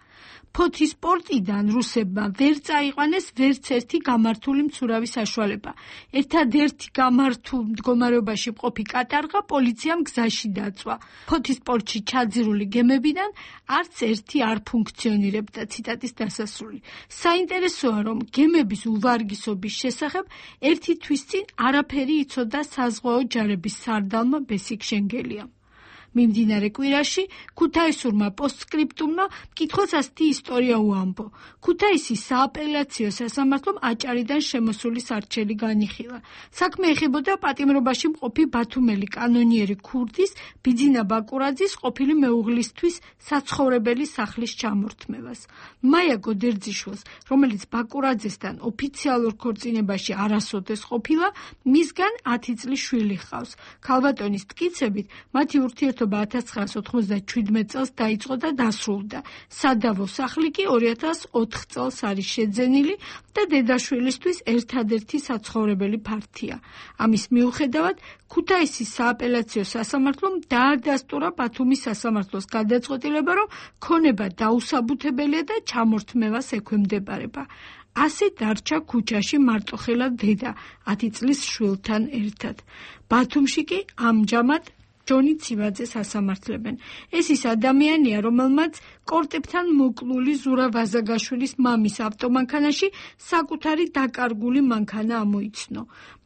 Speaker 4: ფოთის პორტიდან რუსებმა ვერ წაიყვანეს ვერც ერთი გამართული მცურავი საშუალება. ერთადერთი გამართულ მდგომარეობაში მყოფი კატარღა პოლიციამ გზაში დაწვა. ფოთის პორტში ჩაძირული გემებიდან არც ერთი არ ფუნქციონირებდა. ციტატის დასასრული. საინტერესოა, რომ გემების უვარგისობის შესახებ ერთი თვის წინ არაფერი იცოდა საზღვაო ჯარების სარდალმა ბესიკ შენგელიამ. მიმდინარე კვირაში ქუთაისურმა პოსტსკრიპტუმმა მკითხველს ასეთი ისტორია უამბო. ქუთაისის სააპელაციო სასამართლომ აჭარიდან შემოსული სარჩელი განიხილა. საქმე ეხებოდა პატიმრობაში მყოფი ბათუმელი კანონიერი ქურდის ბიძინა ბაკურაძის ყოფილი მეუღლისთვის საცხოვრებელი სახლის ჩამორთმევას. მაია გოდერძიშვილს, რომელიც ბაკურაძესთან ოფიციალურ ქორწინებაში არასოდეს ყოფილა, მისგან 10 წლის შვილი ჰყავს. ქალბატონის მტკიცებით, მათი ურთიერთობა 1997 წელს დაიწყო და დასრულდა. სადავო სახლი კი 2004 წელს არის შეძენილი და დედაშვილისთვის ერთადერთი საცხოვრებელი ფართია. ამის მიუხედავად, ქუთაისის სააპელაციო სასამართლომ დაადასტურა ბათუმის სასამართლოს გადაწყვეტილება, რომ ქონება დაუსაბუთებელია და ჩამორთმევას ექვემდებარება. ასე დარჩა ქუჩაში მარტოხელა დედა 10 წლის შვილთან ერთად. ბათუმში კი ამჯამად ჯონი ცივაძეს ასამართლებენ. ეს ის ადამიანია, რომელმაც კორტებთან მოკლული ზურა ვაზაგაშვილის მამის ავტომანქანაში საკუთარი დაკარგული მანქანა ამოიცნო.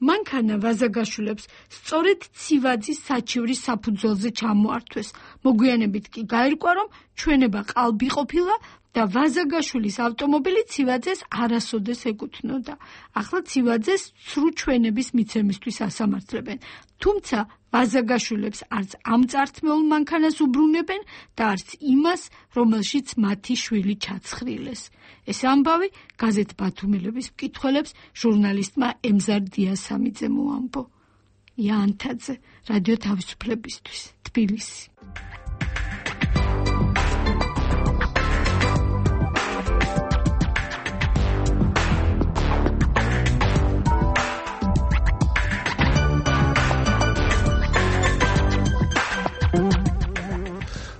Speaker 4: მანქანა ვაზაგაშვილებს სწორედ ცივაძის საჩივრის საფუძველზე ჩამოართვეს. მოგვიანებით კი გაირკვა, რომ ჩვენება ყალბი ყოფილა და ვაზაგაშვილის ავტომობილი ცივაძეს არასოდეს ეკუთვნოდა. ახლა ცივაძეს ცრუ ჩვენების მიცემისთვის ასამართლებენ. თუმცა ვაზაგაშვილებს არც ამ წართმეულ მანქანას უბრუნებენ და არც იმას, რომელშიც მათი შვილი ჩაცხრილეს. ეს ამბავი გაზეთ ბათუმელების მკითხველებს ჟურნალისტმა ემზარ დიასამიძემ მოამბო. იანთაძე, რადიო თავისუფლებისთვის, თბილისი.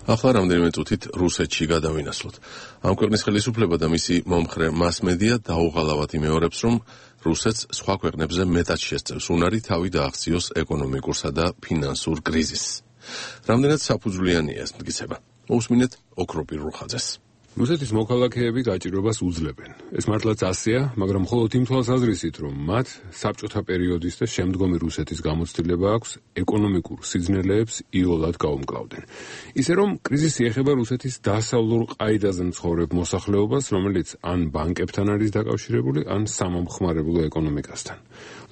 Speaker 1: ახლა რამდენიმე წუთით რუსეთში გადავინასვლოთ. ამ ქვეყნის ხელისუფლება და მისი მომხრე მასმედია დაუღალავად იმეორებს, რომ რუსეთს სხვა ქვეყნებზე მეტად შესწევს უნარი თავი დააღწიოს ეკონომიკურსა და ფინანსურ კრიზისს. რამდენად საფუძვლიანია ეს მტკიცება? მოусმინეთ ოქროპირ რუხაძეს.
Speaker 16: რუსეთის მოქალაქეები გაჭირვებას უძლებენ. ეს მართლაც ასეა, მაგრამ მხოლოდ იმ თვალსაზრისით, რომ მათ საბჭოთა პერიოდის და შემდგომი რუსეთის გამოცდილება აქვს ეკონომიკურ სიძნელეებს იოლად გაუმკლავდნენ. ისე რომ კრიზისი ეხება რუსეთის დასავლურ ყაიდაზე მცხოვრებ მოსახლეობას, რომელიც ან ბანკებთან არის დაკავშირებული, ან სამომხმარებლო ეკონომიკასთან.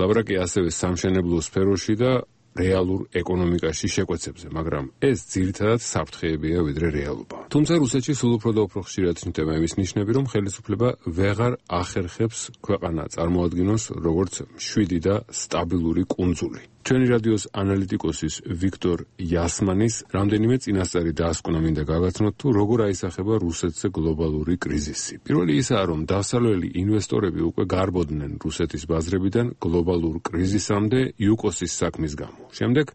Speaker 16: ლაპარაკია ასევე სამშენებლო სფეროში და რეალურ ეკონომიკაში შეკვეცებზე, მაგრამ ეს ძირითადად საფრთხეებია ვიდრე რეალობა. თუმცა რუსეთში სულ უფრო და უფრო ხშირად ჩნდება იმის ნიშნები, რომ ხელისუფლება ვეღარ ახერხებს ქვეყანა წარმოადგინოს როგორც მშვიდი და სტაბილური კუნძული. ჩვენი რადიოს ანალიტიკოსის ვიქტორ იასმანის რამდენიმე წინასწარი დაასკვნა მინდა გაგაცნოთ, თუ როგორ აისახება რუსეთზე გლობალური კრიზისი. პირველი ისაა, რომ დასავლელი ინვესტორები უკვე გარბოდნენ რუსეთის ბაზრებიდან გლობალურ კრიზისამდე იუკოსის საქმის გამო. შემდეგ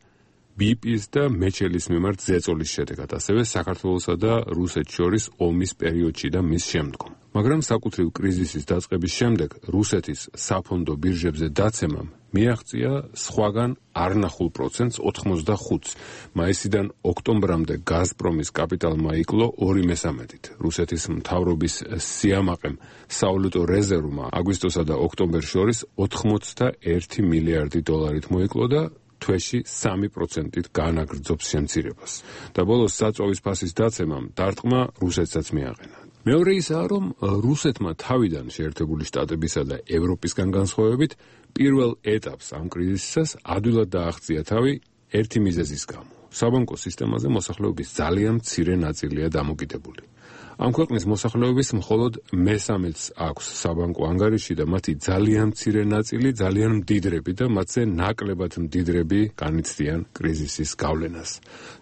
Speaker 16: BP-ის და მეჩელის მიმართ ზეწოლის შედეგად, ასევე საქართველოსა და რუსეთს შორის ომის პერიოდში და მის შემდგომ. მაგრამ საკუთრივ კრიზისის დაწყების შემდეგ რუსეთის საფონდო ბირჟებზე დაცემამ მიაღწია სხვაგან არნახულ პროცენტს 85-ს. მაისიდან ოქტომბრამდე გაზპრომის კაპიტალმა იკლო 2/3. რუსეთის მთავრობის სიამაყემ სავალუტო რეზერვმა აგვისტოსა და ოქტომბერს შორის 81 მილიარდი დოლარით მოიკლო და თვეში 3%-ით განაგრძობს შემცირებას. და ბოლოს საწვავის ფასის დაცემამ დარტყმა რუსეთსაც მიაყენა. მეორე ისაა, რომ რუსეთმა თავიდან შეერთებული შტატებისა და ევროპისგან განსხვავებით პირველ ეტაპს ამ კრიზისას ადვილად დააღწია თავი ერთი მიზეზის გამო. საბანკო სისტემაზე მოსახლეობის ძალიან მცირე ნაწილია დამოკიდებული. ამ ქვეყნის მოსახლეობის მხოლოდ მესამედს აქვს საბანკო ანგარიში და მათი ძალიან მცირე ნაწილი ძალიან მდიდრები და მათზე ნაკლებად მდიდრები განიცდიან კრიზისის გავლენას.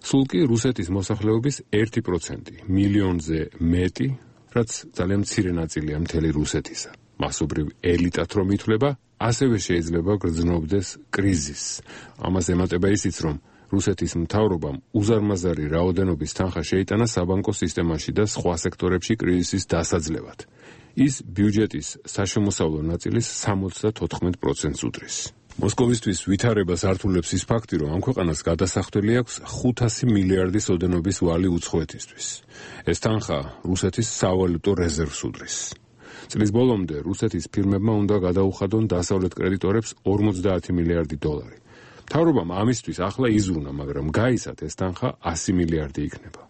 Speaker 16: სულ კი რუსეთის მოსახლეობის 1% მილიონზე მეტი, რაც ძალიან მცირე ნაწილია მთელი რუსეთისა. მასობრივ ელიტად რომ ითვლება, ასევე შეიძლება გრძნობდეს კრიზისს. ამას ემატება ისიც, რომ რუსეთის მთავრობამ უზარმაზარი რაოდენობის თანხა შეიტანა საბანკო სისტემაში და სხვა სექტორებში კრიზისის დასაძლევად. ის ბიუჯეტის საშემოსავლო ნაწილის 74%-ს უდრის. მოსკოვისთვის ვითარებას ართულებს ის ფაქტი, რომ ამ ქვეყანას გადასახდელი აქვს 500 მილიარდის ოდენობის ვალი უცხოეთისთვის. ეს თანხა რუსეთის სავალუტო რეზერვს უდრის. წლის ბოლომდე რუსეთის ფირმებმა უნდა გადაუხადონ დასავლეთ კრედიტორებს 50 მილიარდი დოლარი. მთავრობამ ამისთვის ახლა იზრუნა, მაგრამ გაიცათ ეს თანხა 100 მილიარდი იქნება.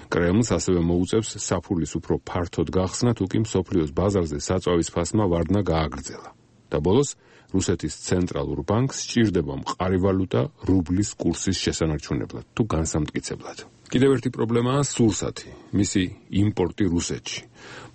Speaker 16: კრემლს ასევე მოუწევს საფულის უფრო ფართოდ გახსნა, თუ კი მსოფლიოს ბაზარზე საწვავის ფასმა ვარდნა გააგრძელა. და ბოლოს რუსეთის ცენტრალურ ბანკს სჭირდება მყარი ვალუტა რუბლის კურსის შესანარჩუნებლად თუ განსამტკიცებლად. კიდევ ერთი პრობლემაა სურსათი, მისი იმპორტი რუსეთში.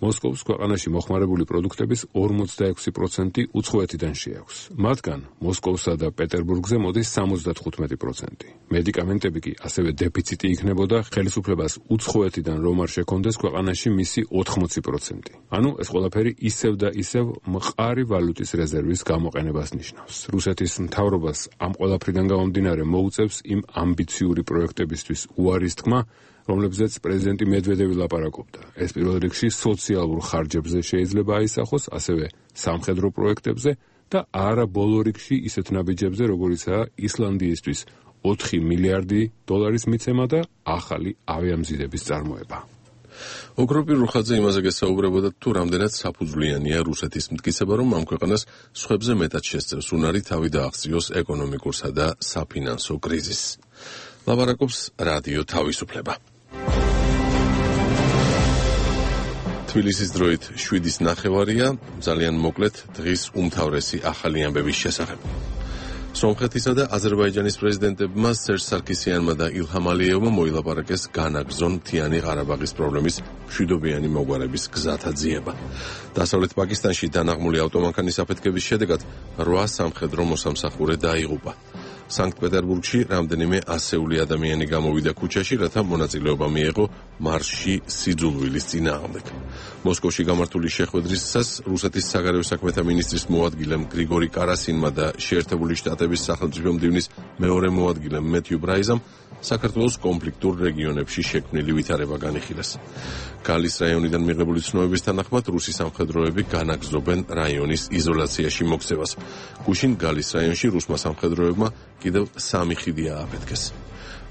Speaker 16: მოსკოვს ქვეყანაში მოხმარებული პროდუქტების 46% უცხოეთიდან შეაქვს. მათგან მოსკოვსა და პეტერბურგზე მოდის 75%. მედიკამენტები კი ასევე დეფიციტი იქნებოდა, ხელისუფლებას უცხოეთიდან რომ არ შექონდეს ქვეყანაში მისი 80%. ანუ ეს ყველაფერი ისევ და ისევ მყარი ვალუტის რეზერვის გამოყენებას ნიშნავს. რუსეთის მთავრობას ამ ყველაფრიდან გამომდინარე მოუწევს იმ ამბიციური პროექტებისთვის უარის თქმა, რომლებზეც პრეზიდენტი მედვედევი ლაპარაკობდა. ეს პირველ რიგში სოციალურ ხარჯებზე შეიძლება აისახოს, ასევე სამხედრო პროექტებზე და არა ბოლო რიგში ისეთ ნაბიჯებზე, როგორიცაა ისლანდიისთვის 4 მილიარდი დოლარის მიცემა და ახალი ავიამზიდების წარმოება. ოქრო პირუხაძე იმაზე გესაუბრებოდა, თუ რამდენად საფუძვლიანია რუსეთის მტკიცება, რომ ამ ქვეყანას სხვებზე მეტად შესწევს უნარი თავი დაახციოს ეკონომიკურსა და საფინანსო კრიზისს. ლაპარაკობს რადიო თავისუფლება. თბილისის დროით 7:09, ძალიან მოკლედ დღის უმთავრესი ახალი ამბების შესახებ. სომხეთისა და აზერბაიჯანის პრეზიდენტებმა სერჟ სარქისიანმა და ილჰამ ალიევმა მოილაპარაკეს განაგრძონ მთიანი ყარაბაღის პრობლემის მშვიდობიანი მოგვარების გზათა ძიება. დასავლეთ პაკისტანში დანაღმული ავტომანქანის აფეთქების შედეგად 8 სამხედრო მოსამსახურე დაიღუპა. სანქტ-პეტერბურგში რამდენიმე ასეული ადამიანი გამოვიდა ქუჩაში, რათა მონაწილეობა მიეღო მარშში სიძულვილის წინააღმდეგ. მოსკოვში გამართული შეხვედრისას რუსეთის საგარეო საქმეთა მინისტრის მოადგილემ გრიგორი კარასინმა და შეერთებული შტატების სახელმწიფო მდივნის მეორე მოადგილემ მეთიუ ბრაიზამ საქართველოს კონფლიქტურ რეგიონებში შექმნილი ვითარება განიხილეს. გალის რაიონიდან მიღებული ცნობების თანახმად რუსი სამხედროები განაგრძობენ რაიონის იზოლაციაში მოქცევას. გუშინ გალის რაიონში რუსმა სამხედროებმა კიდევ 3 ხიდი ააფეთქეს.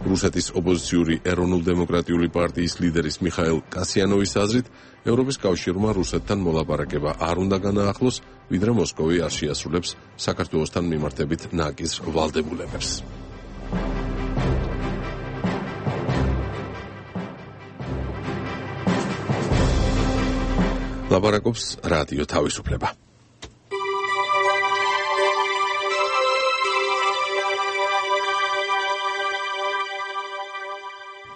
Speaker 16: რუსეთის ოპოზიციური ეროვნულ-დემოკრატიული პარტიის ლიდერის მიხაილ კასიანოვის აზრით, ევროპის კავშირმა რუსეთთან მოლაპარაკება არ უნდა განაახლოს, ვიდრე მოსკოვი არ შეასრულებს საქართველოსთან მიმართებით ნაკის ვალდებულებებს. ლაპარაკობს რადიო თავისუფლება.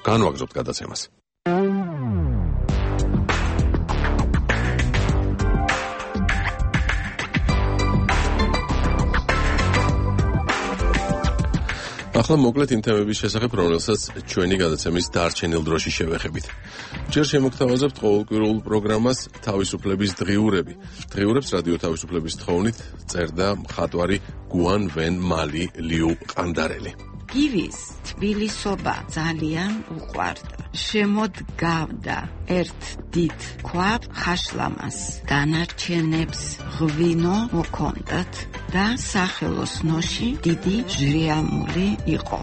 Speaker 16: განვაგრძობთ გადაცემას. ახლა მოკლედ იმ თემების შესახებ, რომელსაც ჩვენი გადაცემის დარჩენილ დროში შევეხებით. ჯერ შემოგთავაზებთ ყოველკვირეულ პროგრამას თავისუფლების დღიურები. დღიურებს რადიო თავისუფლების თხოვნით წერდა მხატვარი გუან ვენ მალი ლიუ ყანდარელი.
Speaker 17: გივის თბილისობა ძალიან უყვარდა. შემოდგავდა ერთ დიდ ქვაბ ხაშლამას. დანარჩენებს ღვინო მოქონდათ და სახელოსნოში დიდი ჟრიამული იყო.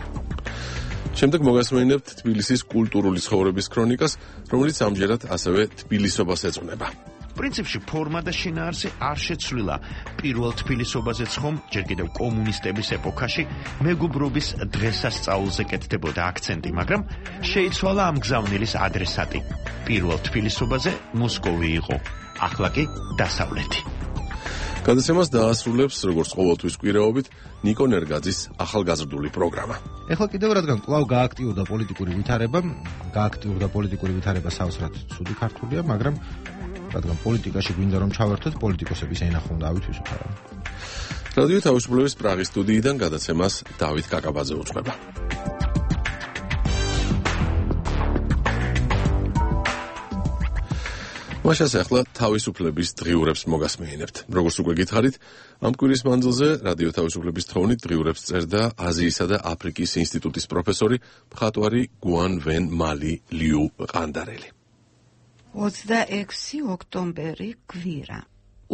Speaker 1: შემდეგ მოგასმენინებთ თბილისის კულტურული ცხოვრების ქრონიკას, რომელიც ამჯერად ასევე თბილისობას ეძღვნება.
Speaker 18: პრინციპში ფორმა და შინაარსი არ შეცვლილა. პირველ თბილისობაზეც ხომ ჯერ კიდევ კომუნისტების ეპოქაში მეგობრობის დღესასწაულზე კეთდებოდა აქცენტი, მაგრამ შეიცვალა ამ გზავნილის ადრესატი. პირველ თბილისობაზე მოსკოვი იყო, ახლა კი დასავლეთი.
Speaker 1: გადაცემას დაასრულებს, როგორც ყოველთვის კვირაობით, ნიკო ნერგაძის ახალგაზრდული პროგრამა.
Speaker 5: ეხლა კიდევ რადგან კვლავ გააქტიურდა პოლიტიკური ვითარება სავსრად ცუდი ქართულია, მაგრამ რადგან პოლიტიკაში გვინდა რომ ჩავერთოთ, პოლიტიკოსების ენა ხომ დავითვისოთ არა.
Speaker 1: რადიო თავისუფლების პრაღის სტუდიიდან გადაცემას დავით კაკაბაძე უძღვება. მაშას ახლა თავისუფლების დღიურებს მოგასმენინებთ. როგორც უკვე გითხარით, ამ კვირის მანძილზე რადიო თავისუფლების თხოვნით დღიურებს წერდა აზიისა და აფრიკის ინსტიტუტის პროფესორი მხატვარი გუან ვენ მალი ლიუ ყანდარელი.
Speaker 17: 26 ოქტომბერი კვირა.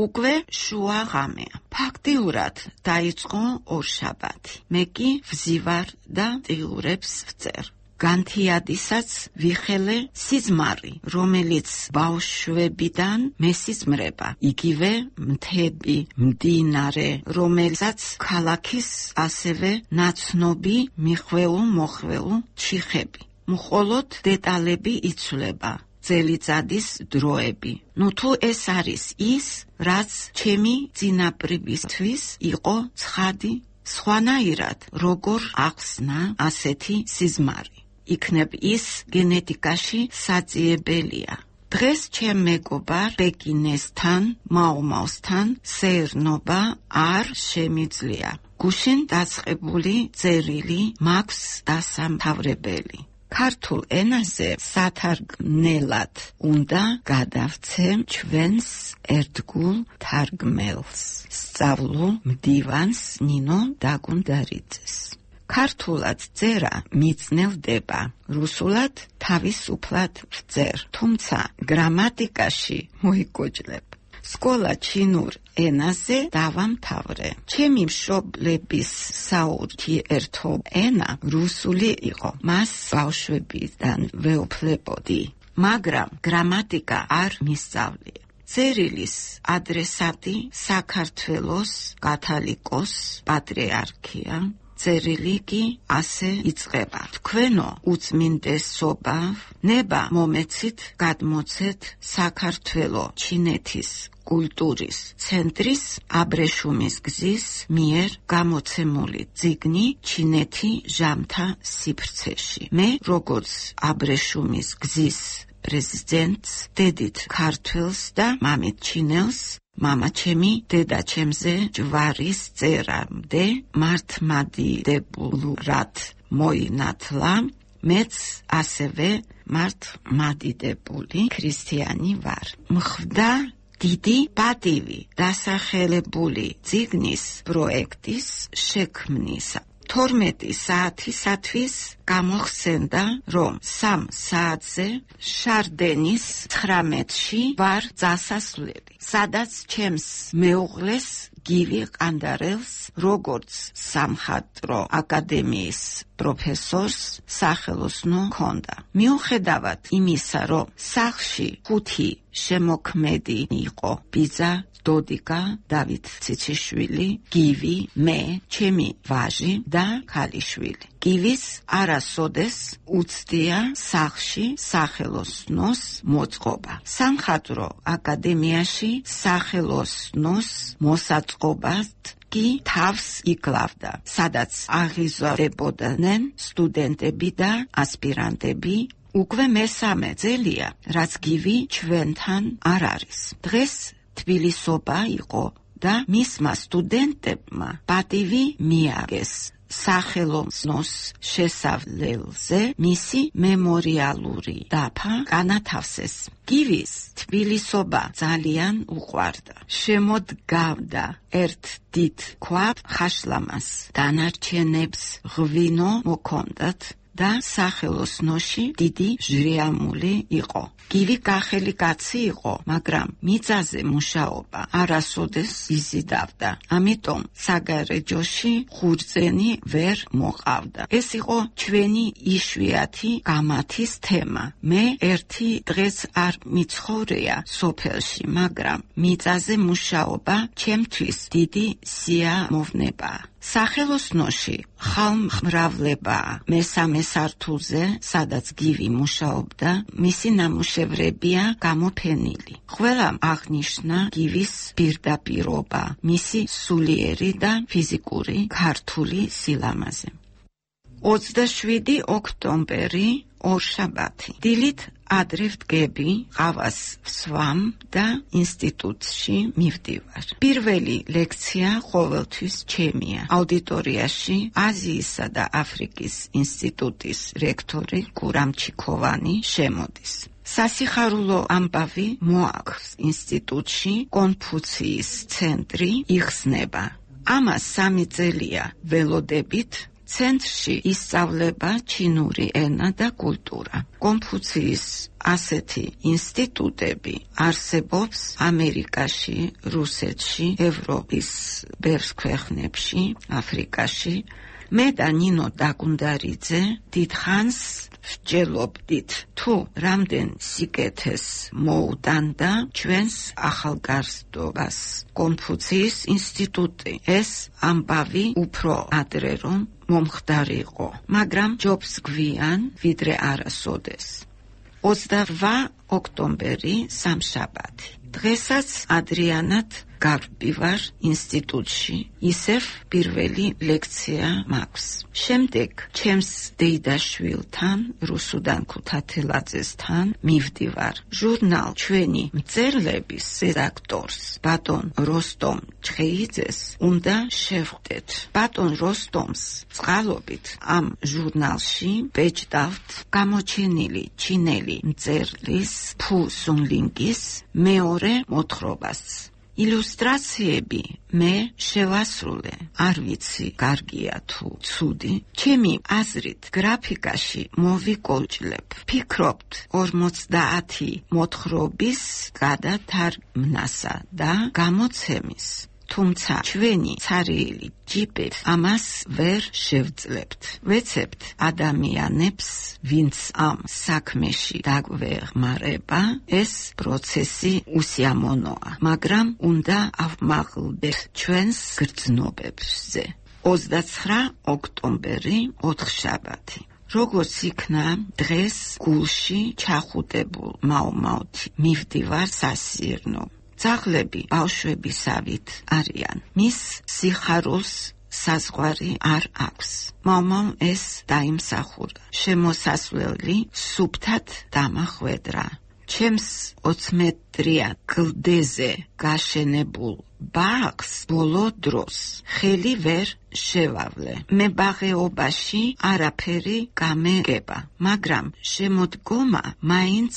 Speaker 17: უკვე შუა ღამეა. ფაქტიურად დაიწყო ორშაბათი. მე კი ვზივარ და დღიურებს ვწერ. განთიადისაც ვიხელე სიზმარი, რომელიც ბავშვებიდან მესიზმრება, იგივე მთები, მდინარე, რომელსაც ქალაქის ასევე ნაცნობი მიხვეულ-მოხვეულ ჩიხები. მხოლოდ დეტალები იცვლება. წელიწადის დროები. თუ ეს არის ის, რაც ჩემი წინაპრებისთვის იყო ცხადი, სხვანაირად როგორ ახსნა ასეთი სიზმარი. იქნებ ის გენეტიკაში საძიებელია. დღეს ჩემ მეგობარ ბეგინესთან, მაუმავსთან სეირნობა არ შემიძლია. გუშინ დაწყებული წერილი მაქვს დასამთავრებელი. ქართულ ენაზე სათარგმნელად უნდა გადავცემ ჩვენს ერთგულ თარგმელს, სწავლულ მდივანს ნინო დაგუნდარიძეს. ქართულად წერა მიწნევდება, რუსულად თავისუფლად ვწერ, თუმცა გრამატიკაში მოიგოჯლებ. სკოლა ჩინურ ენაზე დავამთავრე. ჩემი მშობლების საურთიერთო ენა რუსული იყო. მას ბავშვებიდან ვეუფლებოდი, მაგრამ გრამატიკა არ მისწავლია. წერილის ადრესატი საქართველოს კათოლიკოს პატრიარქია. წერილი კი ასე იწყება. თქვენო უწმინდესობა, ნება მომეცით გადმოცეთ საქართველო ჩინეთის კულტურის ცენტრის აბრეშუმის გზის მიერ გამოცემული წიგნი ჩინეთი ჟამთა სივრცეში. მე როგორც აბრეშუმის გზის პრეზიდენტს, დედით ქართველს და მამით ჩინელს, მამაჩემი დედაჩემზე ჯვარის წერამდე მართლმადიდებლად მოინათლა, მეც ასევე მართლმადიდებული ქრისტიანი ვარ. მხვდა დიდი პატივი დასახელებული წიგნის პროექტის შექმნისა. 12 საათისათვის გამოხსენდა, რომ 3 საათზე შარდენის 19-ში ვარ დასასვლელი, სადაც ჩემს მეუღლეს გივი ყანდარელს, როგორც სამხატვრო აკადემიის პროფესორს სახელოსნო ჰქონდა. მიუხედავად იმისა, რომ სახლში 5 შემოქმედი იყო, ბიძა, დოდიკა, დავით ციციშვილი, გივი, მე, ჩემი ვაჟი და ქალიშვილი. გივის არასოდეს უცდია სახლში სახელოსნოს მოწყობა. სამხატვრო აკადემიაში სახელოსნოს მოსაწყობად კი თავს იკლავდა, სადაც აღიზარდებოდნენ სტუდენტები და ასპირანტები. უკვე მესამე წელია, რაც გივი ჩვენთან არ არის. დღეს თბილისობა იყო და მისმა სტუდენტებმა პატივი მიაგეს სახელოსნოს შესავლელზე მისი მემორიალური დაფა განათავსეს. გივის თბილისობა ძალიან უყვარდა. შემოდგავდა ერთ დიდ ქვაბ ხაშლამას, დანარჩენებს ღვინო მოქონდათ და სახელოსნოში დიდი ჟრიამული იყო. გივი გახელი კაცი იყო, მაგრამ მიწაზე მუშაობა არასოდეს იზიდავდა. ამიტომ საგარეჯოში ხურძენი ვერ მოყავდა. ეს იყო ჩვენი იშვიათი გამათის თემა. მე ერთი დღეს არ მიცხოვრია სოფელში, მაგრამ მიწაზე მუშაობა ჩემთვის დიდი სიამოვნებაა. სახელოსნოში ხალხმრავლებაა. მესამე სართულზე, სადაც გივი მუშაობდა, მისი ნამუშევრებია გამოფენილი. ყველამ აღნიშნა გივის პირდაპირობა, მისი სულიერი და ფიზიკური ქართული სილამაზე. 27 ოქტომბერი, ორშაბათი. დილით ადრე ვდგები, ყავას ვსვამ და ინსტიტუტში მივდივარ. პირველი ლექცია ყოველთვის ჩემია. აუდიტორიაში აზიისა დააფრიკის ინსტიტუტის რექტორი კურამჩიქოვანი შემოდის. სასიხარულო ამბავი მოაქვს ინსტიტუტში კონფუციის ცენტრი იხსნება. ამას 3 წელია ველოდებით. ცენტრში ისწავლება ჩინური ენა და კულტურა. კონფუციის ასეთი ინსტიტუტები არსებობს ამერიკაში, რუსეთში, ევროპის ბევრ ქვეყნებში, აფრიკაში. მე და ნინო დაგუნდარიძე დიდხანს ვჯელობდით თუ რამდენ სიკეთეს მოუტანდა ჩვენს ახალგაზრდობას კონფუციის ინსტიტუტი. ეს ამბავი უფრო ადრე რომ მომხდარიყო, მაგრამ ჯობს გვიან ვიდრე არასოდეს. 28 ოქტომბერი სამშაბათი. დღესაც ადრიანად გავდივარ ინსტიტუტში, ისევ პირველი ლექცია მაქვს. შემდეგ ჩემს დეიდაშვილთან, რუსუდან ქუთათელაძესთან მივდივარ. ჟურნალ ჩვენი მწერლების რედაქტორს, ბატონ როსტომ ჩხეიძეს უნდა შევხვდეთ. ბატონ როსტომს წყალობით ამ ჟურნალში ბეჭდავთ გამოჩენილი ჩინელი მწერლის ფუ სუნლინგის მეორე მოთხრობას. ილუსტრაციები მე შევასრულე, არ ვიცი კარგია თუ ცუდი. ჩემი აზრით გრაფიკაში მოვიკოლჭლებ. ფიქრობთ 50 მოთხრობის გადათარგმნასა და გამოცემის. თუმცა ჩვენი ცარიელი ჯიპით ამას ვერ შევძლებთ. ვეცებთ ადამიანებს, ვინც ამ საქმეში დაგვეხმარება, ეს პროცესი უსიამოვნოა, მაგრამ უნდა ავმაღლდეთ ჩვენს გრძნობებზე. 29 ოქტომბერი, ოთხშაბათი. როგორც იქნა დღეს გულში ჩახუტებულ მაუმაუთი მივდივარ სასიირნო. ძაღლები ბავშვებისავით არიან. მის სიხარულს საზღვარი არ აქვს. მამამ ეს დაიმსახურა. შემოსასვლელი სუფთად დამახვედრა. ჩემს 20 მეტრიან გლდეზე გაშენებულ ბაღს ბოლო დროს ხელი ვერ შევავლე. მებაღეობაში არაფერი გამეგება, მაგრამ შემოდგომა მაინც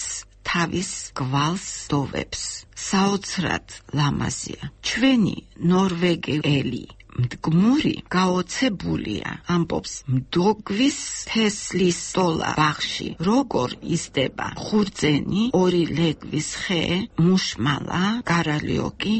Speaker 17: თავის გვალს დოვებს. საოცრად ლამაზია. ჩვენი ნორვეგიელი მდგმური გაოცებულია, ამბობს მდოგვის თესლის სტოლა ბაღში როგორ იზრდება ხურძენი, ორი ლეგვის ხე, მუშმალა, გარალიოკი,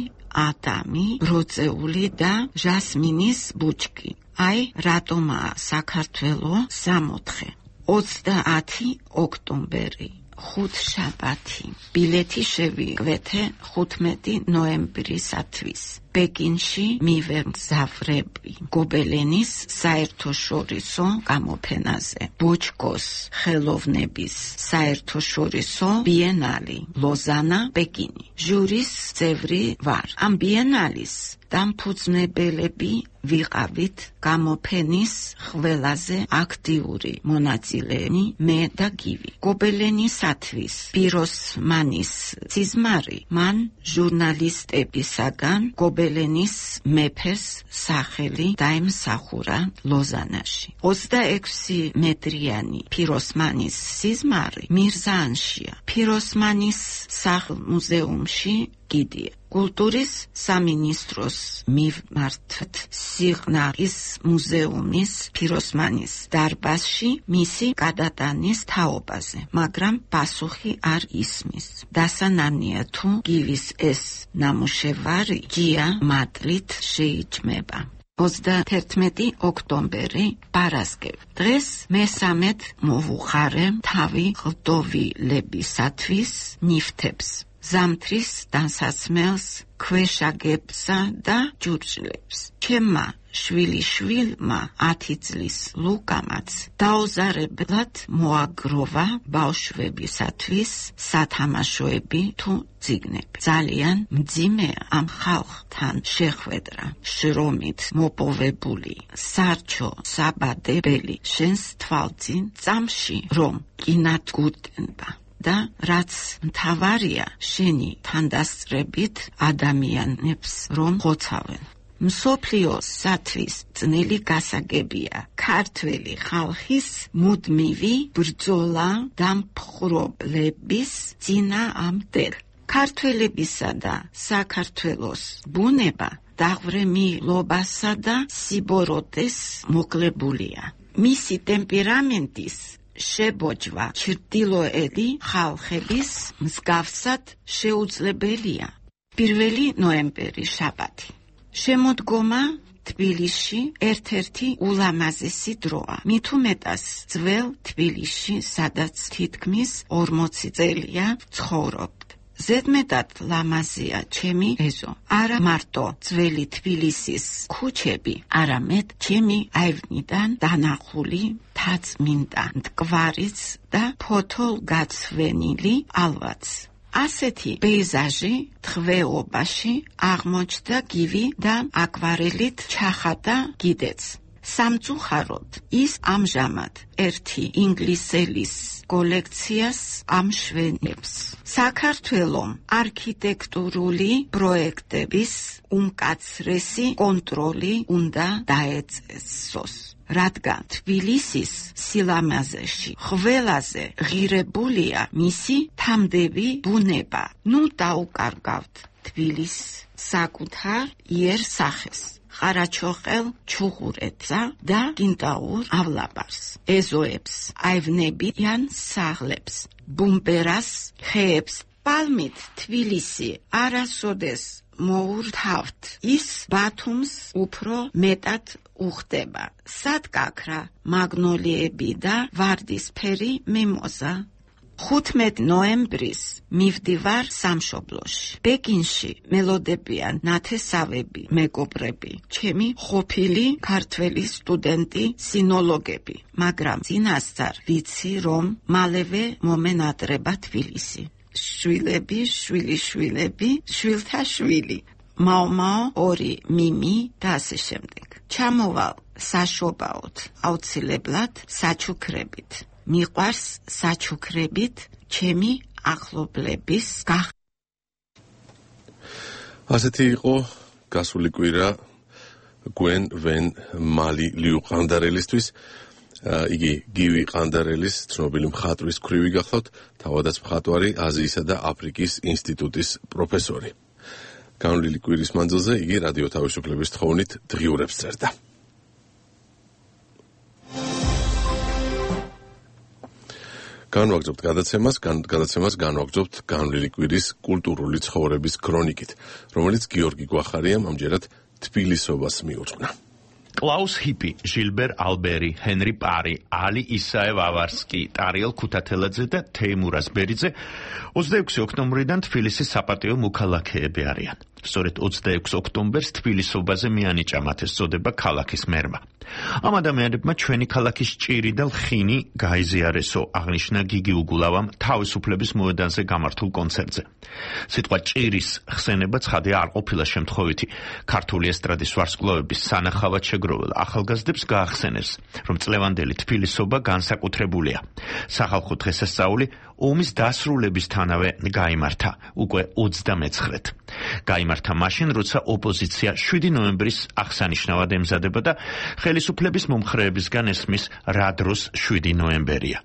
Speaker 17: ადამი, ბროწეული და ჟასმინის ბუჩქი. აი რატომაა საქართველო 64. 30 ოქტომბერი, ხუთშაბათი. ბილეთი შევიკვეთე 15 ნოემბრისათვის. პეკინში მივემგზავრები გობელენის საერთაშორისო გამოფენაზე. ბოჩკოს ხელოვნების საერთაშორისო ბიენალი, ლოზანა, პეკინი. ჟურის წევრი ვარ. ამ ბიენალის დამფუძნებელები ვიყავით გამოფენის ყველაზე აქტიური მონაწილენი მე და გივი. გობელენისათვის პიროსმანის სიზმარი მან ჟურნალისტებისაგან გობელენის მეფეს სახელი დაიმსახურა ლოზანაში. 26 მეტრიანი პიროსმანის სიზმარი მირზაანშია. პიროსმანის სახლ-მუზეუმში გიდია. კულტურის სამინისტროს მიმართ სიღნაღის მუზეუმის პიროსმანის დარბაზში მისი გადატანის თაობაზე, მაგრამ პასუხი არ ისმის. დასანანია თუ გივის ეს ნამუშევარი ჯია მატლით შეიჭმება. 31 ოქტომბერი, პარასკევი. დღეს მესამედ მოვუხარე თავი ღლდოვილებისათვის ნიფთებს. ზამთრის დასასმელს, ქვეშაგებსა და ჯურჯლებს. ჩემმა შვილიშვილმა 10 წლის ლუკამაც დაუზარებლად მოაგროვა ბავშვებისათვის სათამაშოები თუ წიგნები. ძალიან მძიმეა ამ ხალხთან შეხვედრა. შრომით მოპოვებული სარჩო საბადებელი შენს თვალწინ წამში რომ კინადგურდება. და რაც მთავარია შენი თანდასწრებით ადამიანებს რომ ხოცავენ. მსოფლიოსათვის ძნელი გასაგებია ქართველი ხალხის მუდმივი ბრძოლა დამპყრობლების წინააღმდეგ. ქართველებისა და საქართველოს ბუნება დაღვრემილობასა და სიბოროტეს მოკლებულია. მისი ტემპერამენტის შებოჭვა ჩრდილოელი ხალხების მსგავსად შეუძლებელია. 1 ნოემბერი, შაბათი. შემოდგომა თბილისში ერთ-ერთი ულამაზესი დროა. მით უმეტეს ძველ თბილისში, სადაც თითქმის 40 წელია ცხოვრობ. ზედმეტად ლამაზია ჩემი ეზო. არა მარტო ძველი თბილისის ქუჩები, არამედ ჩემი აივნიდან დანახული თაწმინდა მტკვარიც და ფოთოლგაცვენილი ალვაც. ასეთი პეიზაჟი თღვეობაში აღმოჩნდა გივი და აკვარელით ჩახატა კიდეც. სამწუხაროდ ის ამჟამად ერთი ინგლისელის კოლექციას ამშვენებს. საქართველომ არქიტექტურული პროექტების უმკაცრესი კონტროლი უნდა დაეწესოს. რადგან თბილისის სილამაზეში ყველაზე ღირებულია მისი თამდები ბუნება. ნუ დაუკარგავთ თბილის საკუთარ იერსახეს. ყარაჩოყელ ჩუღურეთსა და გინტაურ ავლაბარს, ეზოებს, აივნებიან სახლებს, ბუმპერას ხეებს. პალმით თბილისი არასოდეს მოურთავთ, ის ბათუმს უფრო მეტად უხდება. სადგაქრა მაგნოლიები და ვარდისფერი მიმოზა. 15 ნოემბრის მივდივარ სამშობლოში. ბეკინში მელოდებიან ნათესავები, მეგობრები, ჩემი ყოფილი ქართველი სტუდენტი, სინოლოგები, მაგრამ წინასწარ ვიცი, რომ მალევე მომენატრება თბილისი. შვილები, შვილიშვილები, შვილთა შვილი, მაო, ორი მიმი და ასე შემდეგ. ჩამოვალ საშობაოდ, აუცილებლად საჩუქრებით. მიყვარს საჩუქრებით ჩემი ახლობლების
Speaker 1: ასეთი იყო გასული კვირა გვენ ვენ მალი ლიუ ყანდარელისთვის. იგი გივი ყანდარელის ცნობილი მხატვრის ქვრივი გახლავთ, თავადაც მხატვარი, აზიისა და აფრიკის ინსტიტუტის პროფესორი. განვლილი კვირის მანძილზე იგი რადიო თავისუფლების თხოვნით დღიურებს წერდა. განვაგრძობთ გადაცემას განვაგრძობთ განვლილი კვირის კულტურული ცხოვრების ქრონიკით, რომელიც გიორგი გვახარიამ ამჯერად თბილისობას მიუძღვნა.
Speaker 18: კლაუს ჰიპი, ჟილბერ ალბერი, ჰენრი პარი, ალი ისაევ ავარსკი, ტარიელ ქუთათელაძე და თეიმურაზ ბერიძე 26 ოქტომბრიდან თბილისის საპატიო მოქალაქეები არიან. სწორედ 26 ოქტომბერს თბილისობაზე მიანიჭა მათ ეს წოდება ქალაქის მერმა. ამ ადამიანებმა ჩვენი ქალაქის ჭირი და ლხინი გაიზიარესო, აღნიშნა გიგი უგულავამ თავისუფლების მოედანზე გამართულ კონცერტზე. სიტყვა ჭირის ხსენება ცხადია არ ყოფილა შემთხვევითი. ქართული ესტრადის ვარსკვლავების სანახავად შეგროվել ახალგაზრდებს გაახსენეს, რომ წლევანდელი თბილისობა განსაკუთრებულია. სახალხო დღესასწაული ომის დასრულებისთანავე გაიმართა, უკვე 29-ით. გაიმართა მაშინ, როცა ოპოზიცია 7 ნოემბრის აღსანიშნავად ემზადება და ხელისუფლების მომხრეებისგან ესმის რა დროს 7 ნოემბერია.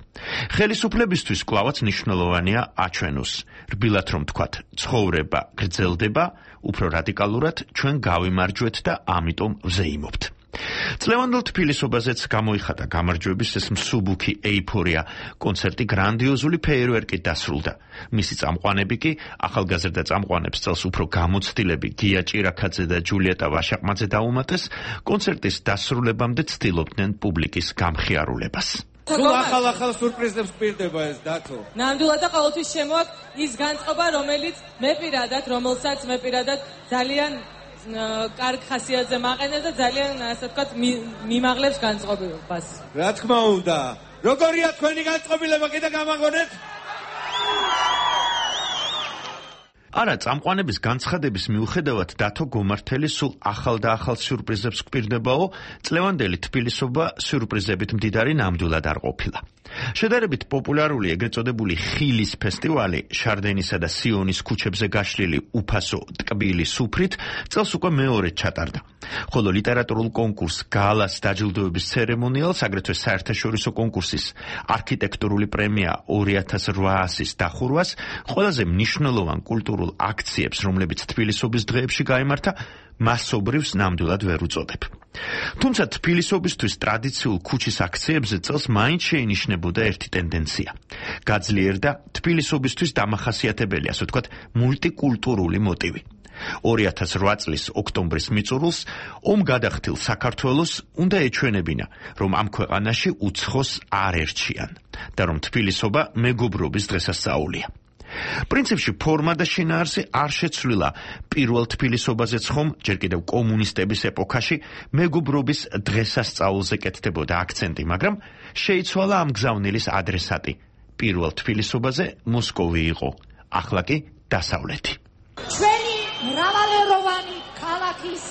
Speaker 18: ხელისუფლებისთვის კვლავაც მნიშვნელოვანია აჩვენოს, რბილად რომ თქვათ, ცხოვრება გრძელდება, უფრო რადიკალურად ჩვენ გავიმარჯვეთ და ამიტომ ვზეიმობთ. წლევანდელ თბილისობაზეც გამოიხატა გამარჯვების ეს მსუბუქი ეიფორია. კონცერტი გრანდიოზული ფეიერვერკით დასრულდა. მისი წამყვანები კი ახალგაზრდა წამყვანებს წელს უფრო გამოცდილები გია ჭირაქაძე და ჯულიეტა ვაშაყმაძე დაუმატეს, კონცერტის დასრულებამდე ცდილობდნენ პუბლიკის გამხიარულებას.
Speaker 19: სულ ახალ სურპრიზებს გვპირდება ეს დათო. ნამდვილად და ყოველთვის შემოაქვს ის განწყობა, რომელსაც მე პირადად ძალიან კარგ ხასიათზე მაყენებ და ძალიან ასე ვთქვათ მიმაღლებს განწყობილებას. რა თქმა უნდა. როგორია თქვენი განწყობილება, კიდე გამაგონეთ?
Speaker 18: არა, წამყვანების განცხადების მიუხედავად დათო გომართელი სულ ახალ და ახალ სიურპრიზებს გვპირდებაო, წლევანდელი თბილისობა სიურპრიზებით მდიდარი ნამდვილად არ ყოფილა. შედარებით პოპულარული ეგრეთ წოდებული ხილის ფესტივალი შარდენისა და სიონის ქუჩებზე გაშლილი უფასო ტკბილი სუფრით წელს უკვე მეორედ ჩატარდა. ხოლო ლიტერატურულ კონკურს გალას დაჯილდოების ცერემონიალს, აგრეთვე საერთაშორისო კონკურსის არქიტექტურული პრემია 2800-ის დახურვას, ყველაზე მნიშვნელოვან კულტურულ აქციებს, რომლებიც თბილისობის დღეებში გაიმართა, მასობრივს ნამდვილად ვერ უწოდებ. თუმცა თბილისობისთვის ტრადიციულ ქუჩის აქციებზე წელს მაინც შეინიშნებოდა ერთი ტენდენცია. გაძლიერდა თბილისობისთვის დამახასიათებელი, ასე ვთქვათ, მულტიკულტურული მოტივი. 2008 წლის ოქტომბრის მიწურულს ომგადახდილ საქართველოს უნდა ეჩვენებინა, რომ ამ ქვეყანაში უცხოს არ ერჩიან და რომ თბილისობა მეგობრობის დღესასწაულია. პრინციპში ფორმა და შინაარსი არ შეცვლილა პირველ თბილისობაზეც ხომ ჯერ კიდევ კომუნისტების ეპოქაში მეგობრობის დღესასწაულზე კეთდებოდა აქცენტი, მაგრამ შეიცვალა ამ გზავნილის ადრესატი. პირველ თბილისობაზე მოსკოვი იყო, ახლა კი დასავლეთი.
Speaker 20: ჩვენი მრავალეროვანი ქალაქის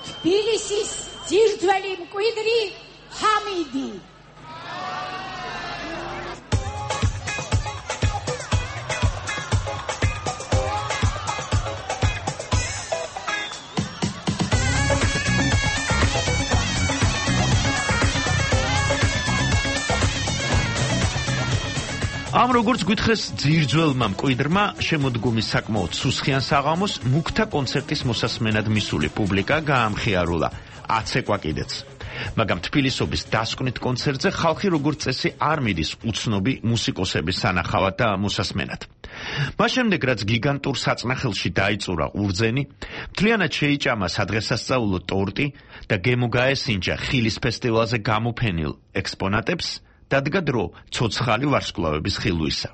Speaker 20: თბილისის ძირძველი მკვიდრი ჰამიდი.
Speaker 18: ამ როგორც გითხრეს ძირძველმა მკვიდრმა შემოდგომის საკმაოდ სუსხიან საღამოს მუქთა კონცერტის მოსასმენად მისული პუბლიკა გაამხიარულა, აცეკვა კიდეც. მაგრამ თბილისობის დასკვნით კონცერტზე ხალხი როგორც წესი არ მიდის უცნობი მუსიკოსების სანახავად და მოსასმენად. მას შემდეგ რაც გიგანტურ საწნახელში დაიწურა ურძენი, მთლიანად შეიჭამა სადღესასწაულო ტორტი და გემო გაესინჯა ხილის ფესტივალზე გამოფენილ ექსპონატებს, დადგა დრო ცოცხალი ვარსკვლავების ხილვისა.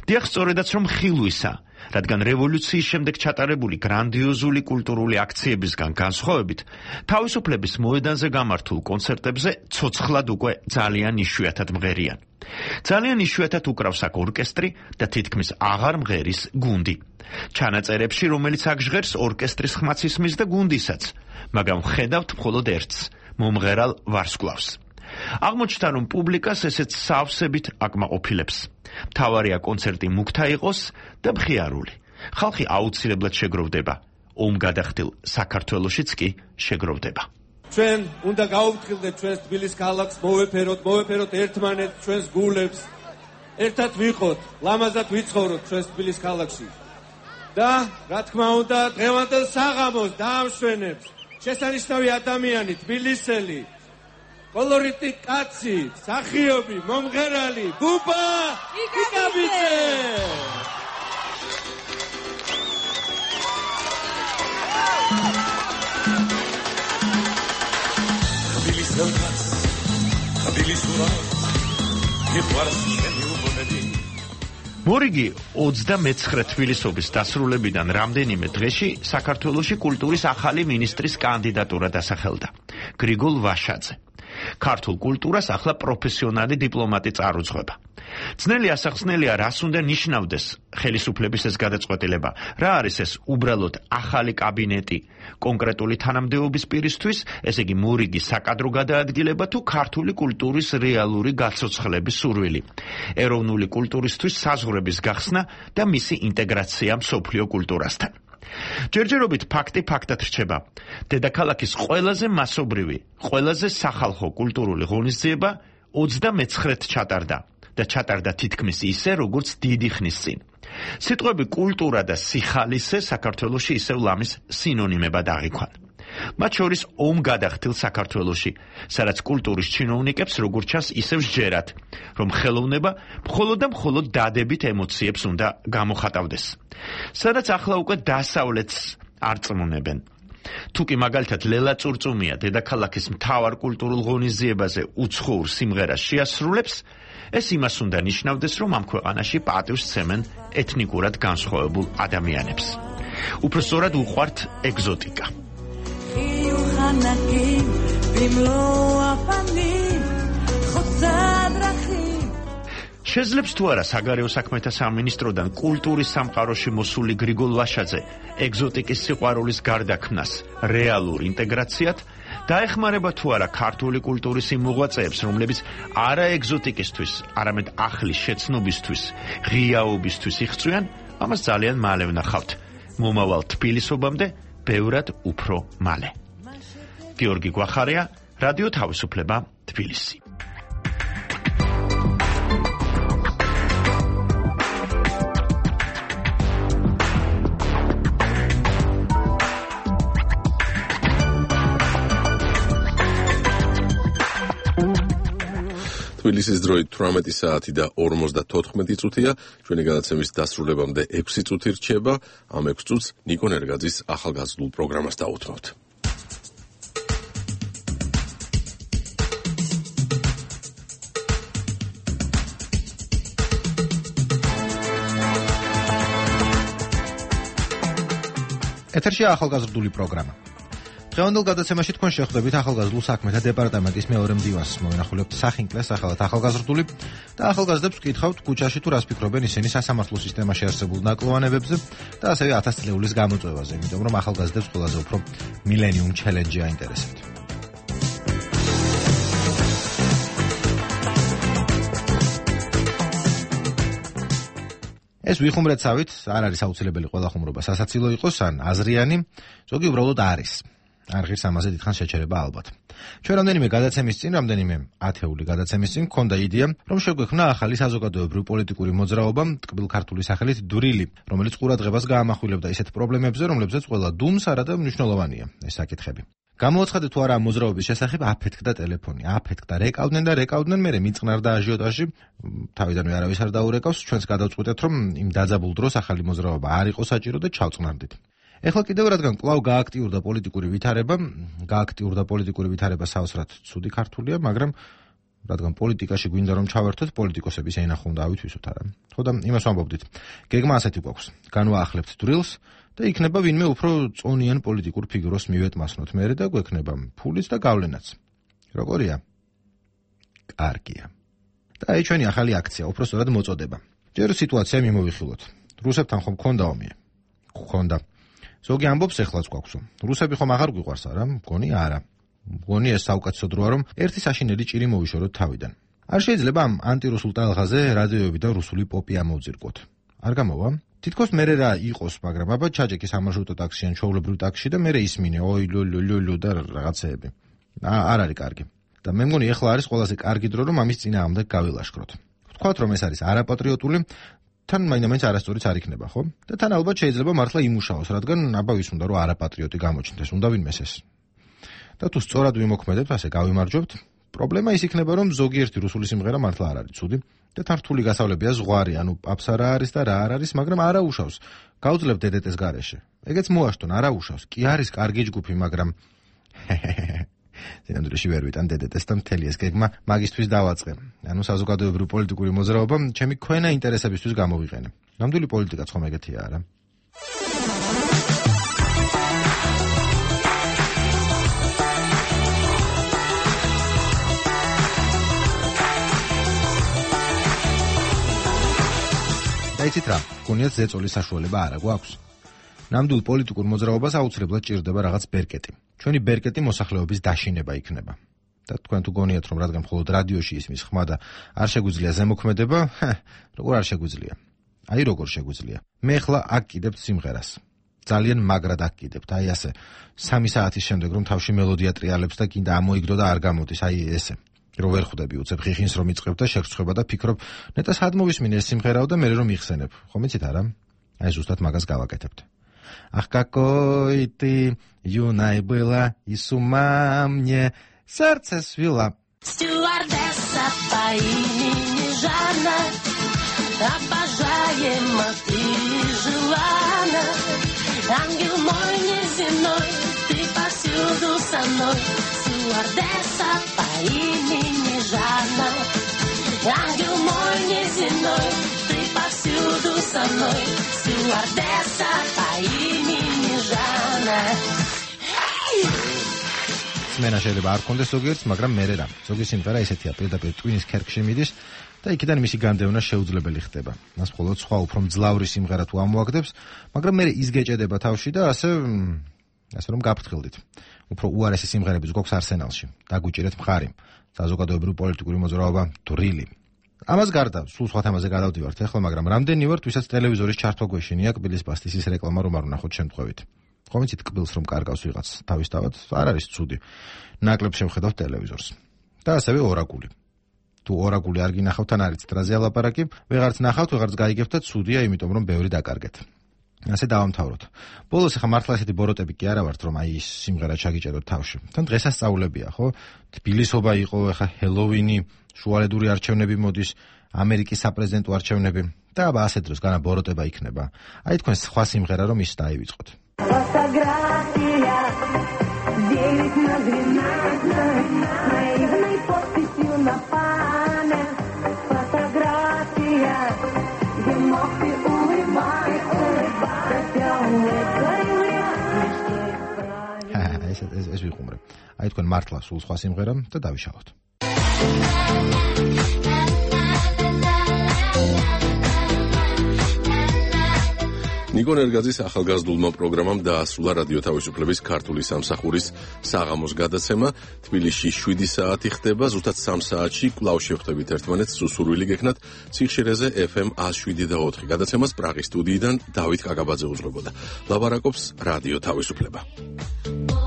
Speaker 18: დიახ, სწორედაც რომ ხილვისა, რადგან რევოლუციის შემდეგ ჩატარებული გრანდიოზული კულტურული აქციებისგან განსხვავებით, თავისუფლების მოედანზე გამართულ კონცერტებზე ცოცხლად უკვე ძალიან იშვიათად მღერიან. ძალიან იშვიათად უკრავს აქ ორკესტრი და თითქმის აღარ მღერის გუნდი. ჩანაწერებში, რომელიც აქ ჟღერს, ორკესტრის ხმაც ისმის და გუნდისაც, მაგრამ ხედავთ მხოლოდ ერთს, მომღერალ ვარსკვლავს. აღმოჩნდა, რომ პუბლიკას ესეც სავსებით აკმაყოფილებს. მთავარია კონცერტი მუქთა იყოს და მხიარული. ხალხი აუცილებლად შეგროვდება. ომგადახდილ საქართველოშიც კი შეგროვდება.
Speaker 21: ჩვენ უნდა გავუფრთხილდეთ ჩვენს თბილის ქალაქს, მოვეფეროთ ერთმანეთს, ჩვენს გულებს, ერთად ვიყოთ, ლამაზად ვიცხოვროთ ჩვენს თბილის ქალაქში. და რა თქმა უნდა, დღევანდელ საღამოს დაამშვენებს შესანიშნავი ადამიანი, თბილისელი, კოლორიტი კაცი, მსახიობი, მომღერალი, ბუბა იკაბიძე.
Speaker 18: მორიგი 29 თბილისობის დასრულებიდან რამდენიმე დღეში საქართველოში კულტურის ახალი მინისტრის კანდიდატურა დასახელდა. გრიგოლ ვაშაძე. ქართულ კულტურას ახლა პროფესიონალი დიპლომატი წარუძღვება. ძნელი ასახსნელია, რას უნდა ნიშნავდეს ხელისუფლების ეს გადაწყვეტილება, რა არის ეს უბრალოდ ახალი კაბინეტი კონკრეტული თანამდებობის პირისთვის, ესე იგი მორიგი საკადრო გადაადგილება თუ ქართული კულტურის რეალური გაცოცხლების სურვილი, ეროვნული კულტურისთვის საზღვრების გახსნა და მისი ინტეგრაცია მსოფლიო კულტურასთან. ჯერჯერობით ფაქტი ფაქტად რჩება. დედაქალაქის ყველაზე მასობრივი, ყველაზე სახალხო კულტურული ღონისძიება 29-ით ჩატარდა და ჩატარდა თითქმის ისე, როგორც დიდი ხნის წინ. სიტყვები კულტურა და სიხალისე საქართველოში ისევ ლამის სინონიმებად აღიქვან. მათ შორის ომგადახდილ საქართველოში, სადაც კულტურის ჩინოვნიკებს როგორც ჩანს ისევ სჯერათ, რომ ხელოვნება მხოლოდ და მხოლოდ დადებით ემოციებს უნდა გამოხატავდეს. სადაც ახლა უკვე დასავლეთს არ წმუნებენ. თუკი მაგალითად ლელა წურწუმია დედაქალაქის მთავარ კულტურულ ღონისძიებაზე უცხოურ სიმღერას შეასრულებს, ეს იმას უნდა ნიშნავდეს, რომ ამ ქვეყანაში პატივს სცემენ ეთნიკურად განსხვავებულ ადამიანებს. უფრო სწორად უყვართ ეგზოტიკა. შეძლებს თუ არა საგარეო საქმეთა სამინისტროდან კულტურის სამყაროში მოსული გრიგოლ ვაშაძე ეგზოტიკის სიყვარულის გარდაქმნას რეალურ ინტეგრაციად, დაეხმარება თუ არა ქართული კულტურის იმ მოღვაწეებს, რომლებიც არა ეგზოტიკისთვის, არამედ ახლის შეცნობისთვის, ღიაობისთვის იღწვიან, ამას ძალიან მალე ვნახავთ. მომავალ თბილისობამდე ბევრად უფრო მალე. გიორგი გვახარია, რადიო თავისუფლება, თბილისი.
Speaker 1: თბილისის დროით 18 საათი და 54 წუთია, ჩვენი გადაცემის დასრულებამდე 6 წუთი რჩება, ამ 6 წუთს ნიკო ნერგაძის ახალგაზრდულ პროგრამას დაუთმობთ.
Speaker 5: ეთერშია ახალგაზრდული პროგრამა. დღევანდელ გადაცემაში თქვენ შეხვდებით ახალგაზრდულ საქმეთა დეპარტამენტის მეორე მდივანს. მოვინახულებთ სახინკლეს სახელად ახალგაზრდული და ახალგაზრდებს ვკითხავთ ქუჩაში თუ რას ფიქრობენ ისინი სასამართლო სისტემაში არსებულ ნაკლოვანებებზე და ასევე 1000 წლეულის გამოწვევაზე, იმიტომ რომ ახალგაზრდებს ყველაზე უფრო მილენიუმ ჩელენჯი აინტერესებთ. ეს ვიხუმრեցავით, არ არის აუცილებელი ყველა ხუმრობა სასაცილო იყოს ან აზრიანი, ზოგი უბრალოდ არის. არ ღირს ამაზე დიდხანს შეჩერება ალბათ. ჩვენ რამდენიმე გადაცემის წინ, რამდენიმე ათეული გადაცემის წინ გქონდა იდეა, რომ შეგვექმნა ახალი საზოგადოებრივი პოლიტიკური მოძრაობა, ტკბილ ქართული სახელით დვრილი, რომელიც ყურადღებას გაამახვილებდა ისეთ პრობლემებზე, რომლებზეც ყველა დუმს არადა მნიშვნელოვანია ეს საკითხები. გამოაცხადე თუ არა მოძრაობის შესახებ აფეთქდა ტელეფონი, აფეთქდა, რეკავდნენ, მერე მიწყნარდა აჟიოტაჟი, თავიდანვე არავის არ დაურეკავს, ჩვენს გადავწყვეტეთ, რომ იმ დაძაბულ დროს ახალი მოძრაობა არ იყო საჭირო და ჩავწყნარდით. ეხლა კიდევ რადგან კვლავ გააქტიურდა პოლიტიკური ვითარება საოცრად ცუდი ქართულია, მაგრამ რადგან პოლიტიკაში გვინდა რომ ჩავერთოთ, პოლიტიკოსების ენახო უნდა ავითვისოთ არა. ხო და იმას ვამბობდით. გეგმა ასეთი გვაქვს. განვაახლებთ დრილს და იქნება ვინმე უფრო წონიან პოლიტიკურ ფიგურას მივეტმასნოთ მერე და გვექნება ფულიც და გავლენაც. როგორია? კარგია. და აი ჩვენი ახალი აქცია, უბრალოდ მოწოდება. ჯერ სიტუაცია მიმოვიხილოთ. რუსებთან ხომ გქონდა ომი? გქონდა. ზოგი ამბობს ეხლაც გვაქვსო. რუსები ხომ აღარ გვიყვარს არა? მგონი არა. მგონი ეს საუკეთესო დროა რომ ერთი საშინელი ჭირი მოვიშოროთ თავიდან. არ შეიძლება ამ ანტირუსულ ტალღაზე რადიოები და რუსული პოპი ამოვძირკვოთ. არ გამოვა? თითქოს მერე რა იყოს, მაგრამ აბა ჩაჭეკი სამარშრუტო ტაქსი ან ჩვეულებრივ ტაქსში და მერე ისმინე ოი ლულულულუ და რაღაცეები. არ არის კარგი. და მე მგონი ეხლა არის ყველაზე კარგი დრო რომ ამის წინააღმდეგ გავილაშქროთ. ვთქვათ რომ ეს არის არაპატრიოტული თან მაინც არასწორიც არ იქნება, ხო? და თან ალბათ შეიძლება მართლა იმუშაოს, რადგან აბა ვის უნდა რომ არაპატრიოტი გამოჩნდეს, უნდა ვინმეს ეს. და თუ სწორად ვიმოქმედებთ, ასე გავიმარჯვებთ, პრობლემა ის იქნება, რომ ზოგიერთი რუსული სიმღერა მართლა არ არის ცუდი და თან რთული გასავლებია ზღვარი, ანუ პაპსა რა არის და რა არ არის, მაგრამ არა უშავს. გავძლებ დედეტეს გარეშე. ეგეც მოაშტონ, არა უშავს. კი არის კარგი ჯგუფი, მაგრამ ზინამდვილეში ვერ ვიტან დედეტეს და მთელი ეს გეგმა მაგისთვის დავაწყე. ანუ საზოგადოებრივი პოლიტიკური მოძრაობა ჩემი ქვენა ინტერესებისთვის გამოვიყენე. ნამდვილი პოლიტიკაც ხომ ეგეთია არა? დაიცით რა, გონიათ ზეწოლის საშუალება არა გვაქვს. ნამდვილ პოლიტიკურ მოძრაობას აუცილებლად ჭირდება რაღაც ბერკეტი. ჩვენი ბერკეტი მოსახლეობის დაშინება იქნება. და თქვენ თუ გონიათ რომ რადგან მხოლოდ რადიოში ისმის ხმა და არ შეგვიძლია ზემოქმედება, როგორ არ შეგვიძლია? აი როგორ შეგვიძლია? მე ხლა აკიდებთ სიმღერას. ძალიან მაგრად აკიდებთ. აი ასე 3 საათის შემდეგ რომ თავში მელოდია ტრიალებს და კიდე ამოიგდო და არ გამოდის, აი ესე. რომ ვერ ხვდები უცებ ხიხინს რომ იწყებ და შეგრცხვება და ფიქრობ, ნეტა სად მოვისმინე ეს სიმღერაო და მე რომ მიხსენებ. ხომ იცით არა? აი ზუსტად მაგას გავაკეთებთ. Ах, какой ты юной была, и с ума мне сердце свела.
Speaker 6: Стюардесса по имени Жанна, обожаема ты желанна. Ангел мой неземной, ты повсюду со мной. Стюардесса по имени Жанна, ангел мой неземной, ты повсюду со мной. Стюардесса по имени Жанна.
Speaker 5: სმენა შეიძლება არ კონდეს ზოგიერთს, მაგრამ მერე რა. ზოგი სიმღერა ისეთია, პირდაპირ ტვინის ქერქში მიდის და იქიდან მისი განდევნა შეუძლებელი ხდება. მას მხოლოდ სხვა უფრო მძლავრი სიმღერა თუ ამოაგდებს, მაგრამ მერე ის გეჭედება თავში და ასე რომ გაფრთხილდით. უფრო უარესი სიმღერებიც გვაქვს არსენალში. დაგვიჭირეთ მხარი. საზოგადოებრივი პოლიტიკური მოძრაობა დვრილი. ამას გარდა, სულ სხვა თემაზე გადავდივართ ახლა, მაგრამ რამდენი ვართ, ვისაც ტელევიზორის ჩართვა გვეშინია კბილის პასტისის რეკლამა რომ არ ვნახოთ შემთხვევით. ხომ იცით კბილს რომ კარგავს ვიღაც თავისთავად, არ არის ცუდი. ნაკლებ შევხედავთ ტელევიზორს. და ასევე ორაგული. თუ ორაგული არ გინახავთ, თან არის დრაზე ალაპარაკი, ვეღარც ნახავთ, ვეღარც გაიგებთ და ცუდია, იმიტომ რომ ბევრი დაკარგეთ. ასე დავამთავროთ. ბოლოს ახლა მართლა ესეთი ბოროტები კი არა ვართ, რომ აი ის სიმღერა ჩაგიჭედოთ თავში. თან დღესასწაულებია, ხო? თბილისობა იყო, ახლა ჰელოვინი, შუალედური არჩევნები მოდის, ამერიკის საპრეზიდენტო არჩევნები და აბა ასეთ დროს განა ბოროტება იქნება. აი თქვენ სხვა სიმღერა რომ ის დაივიწყოთ. ეს ვიხუმრე. აი თქვენ მართლა სულ სხვა სიმღერა და დავიშალოთ.
Speaker 1: ნიკო ნერგაძის ახალგაზრდულმა პროგრამამ დაასრულა რადიო თავისუფლების ქართული სამსახურის საღამოს გადაცემა. თბილისში 7 საათი ხდება, ზუსტად 3 საათში კვლავ შევხვდებით ერთმანეთს სუსურვილი გექნათ ციხშირეზე FM 107.4. გადაცემას პრაღის სტუდიიდან დავით კაკაბაძე უძღვებოდა. ლაპარაკობს რადიო თავისუფლება.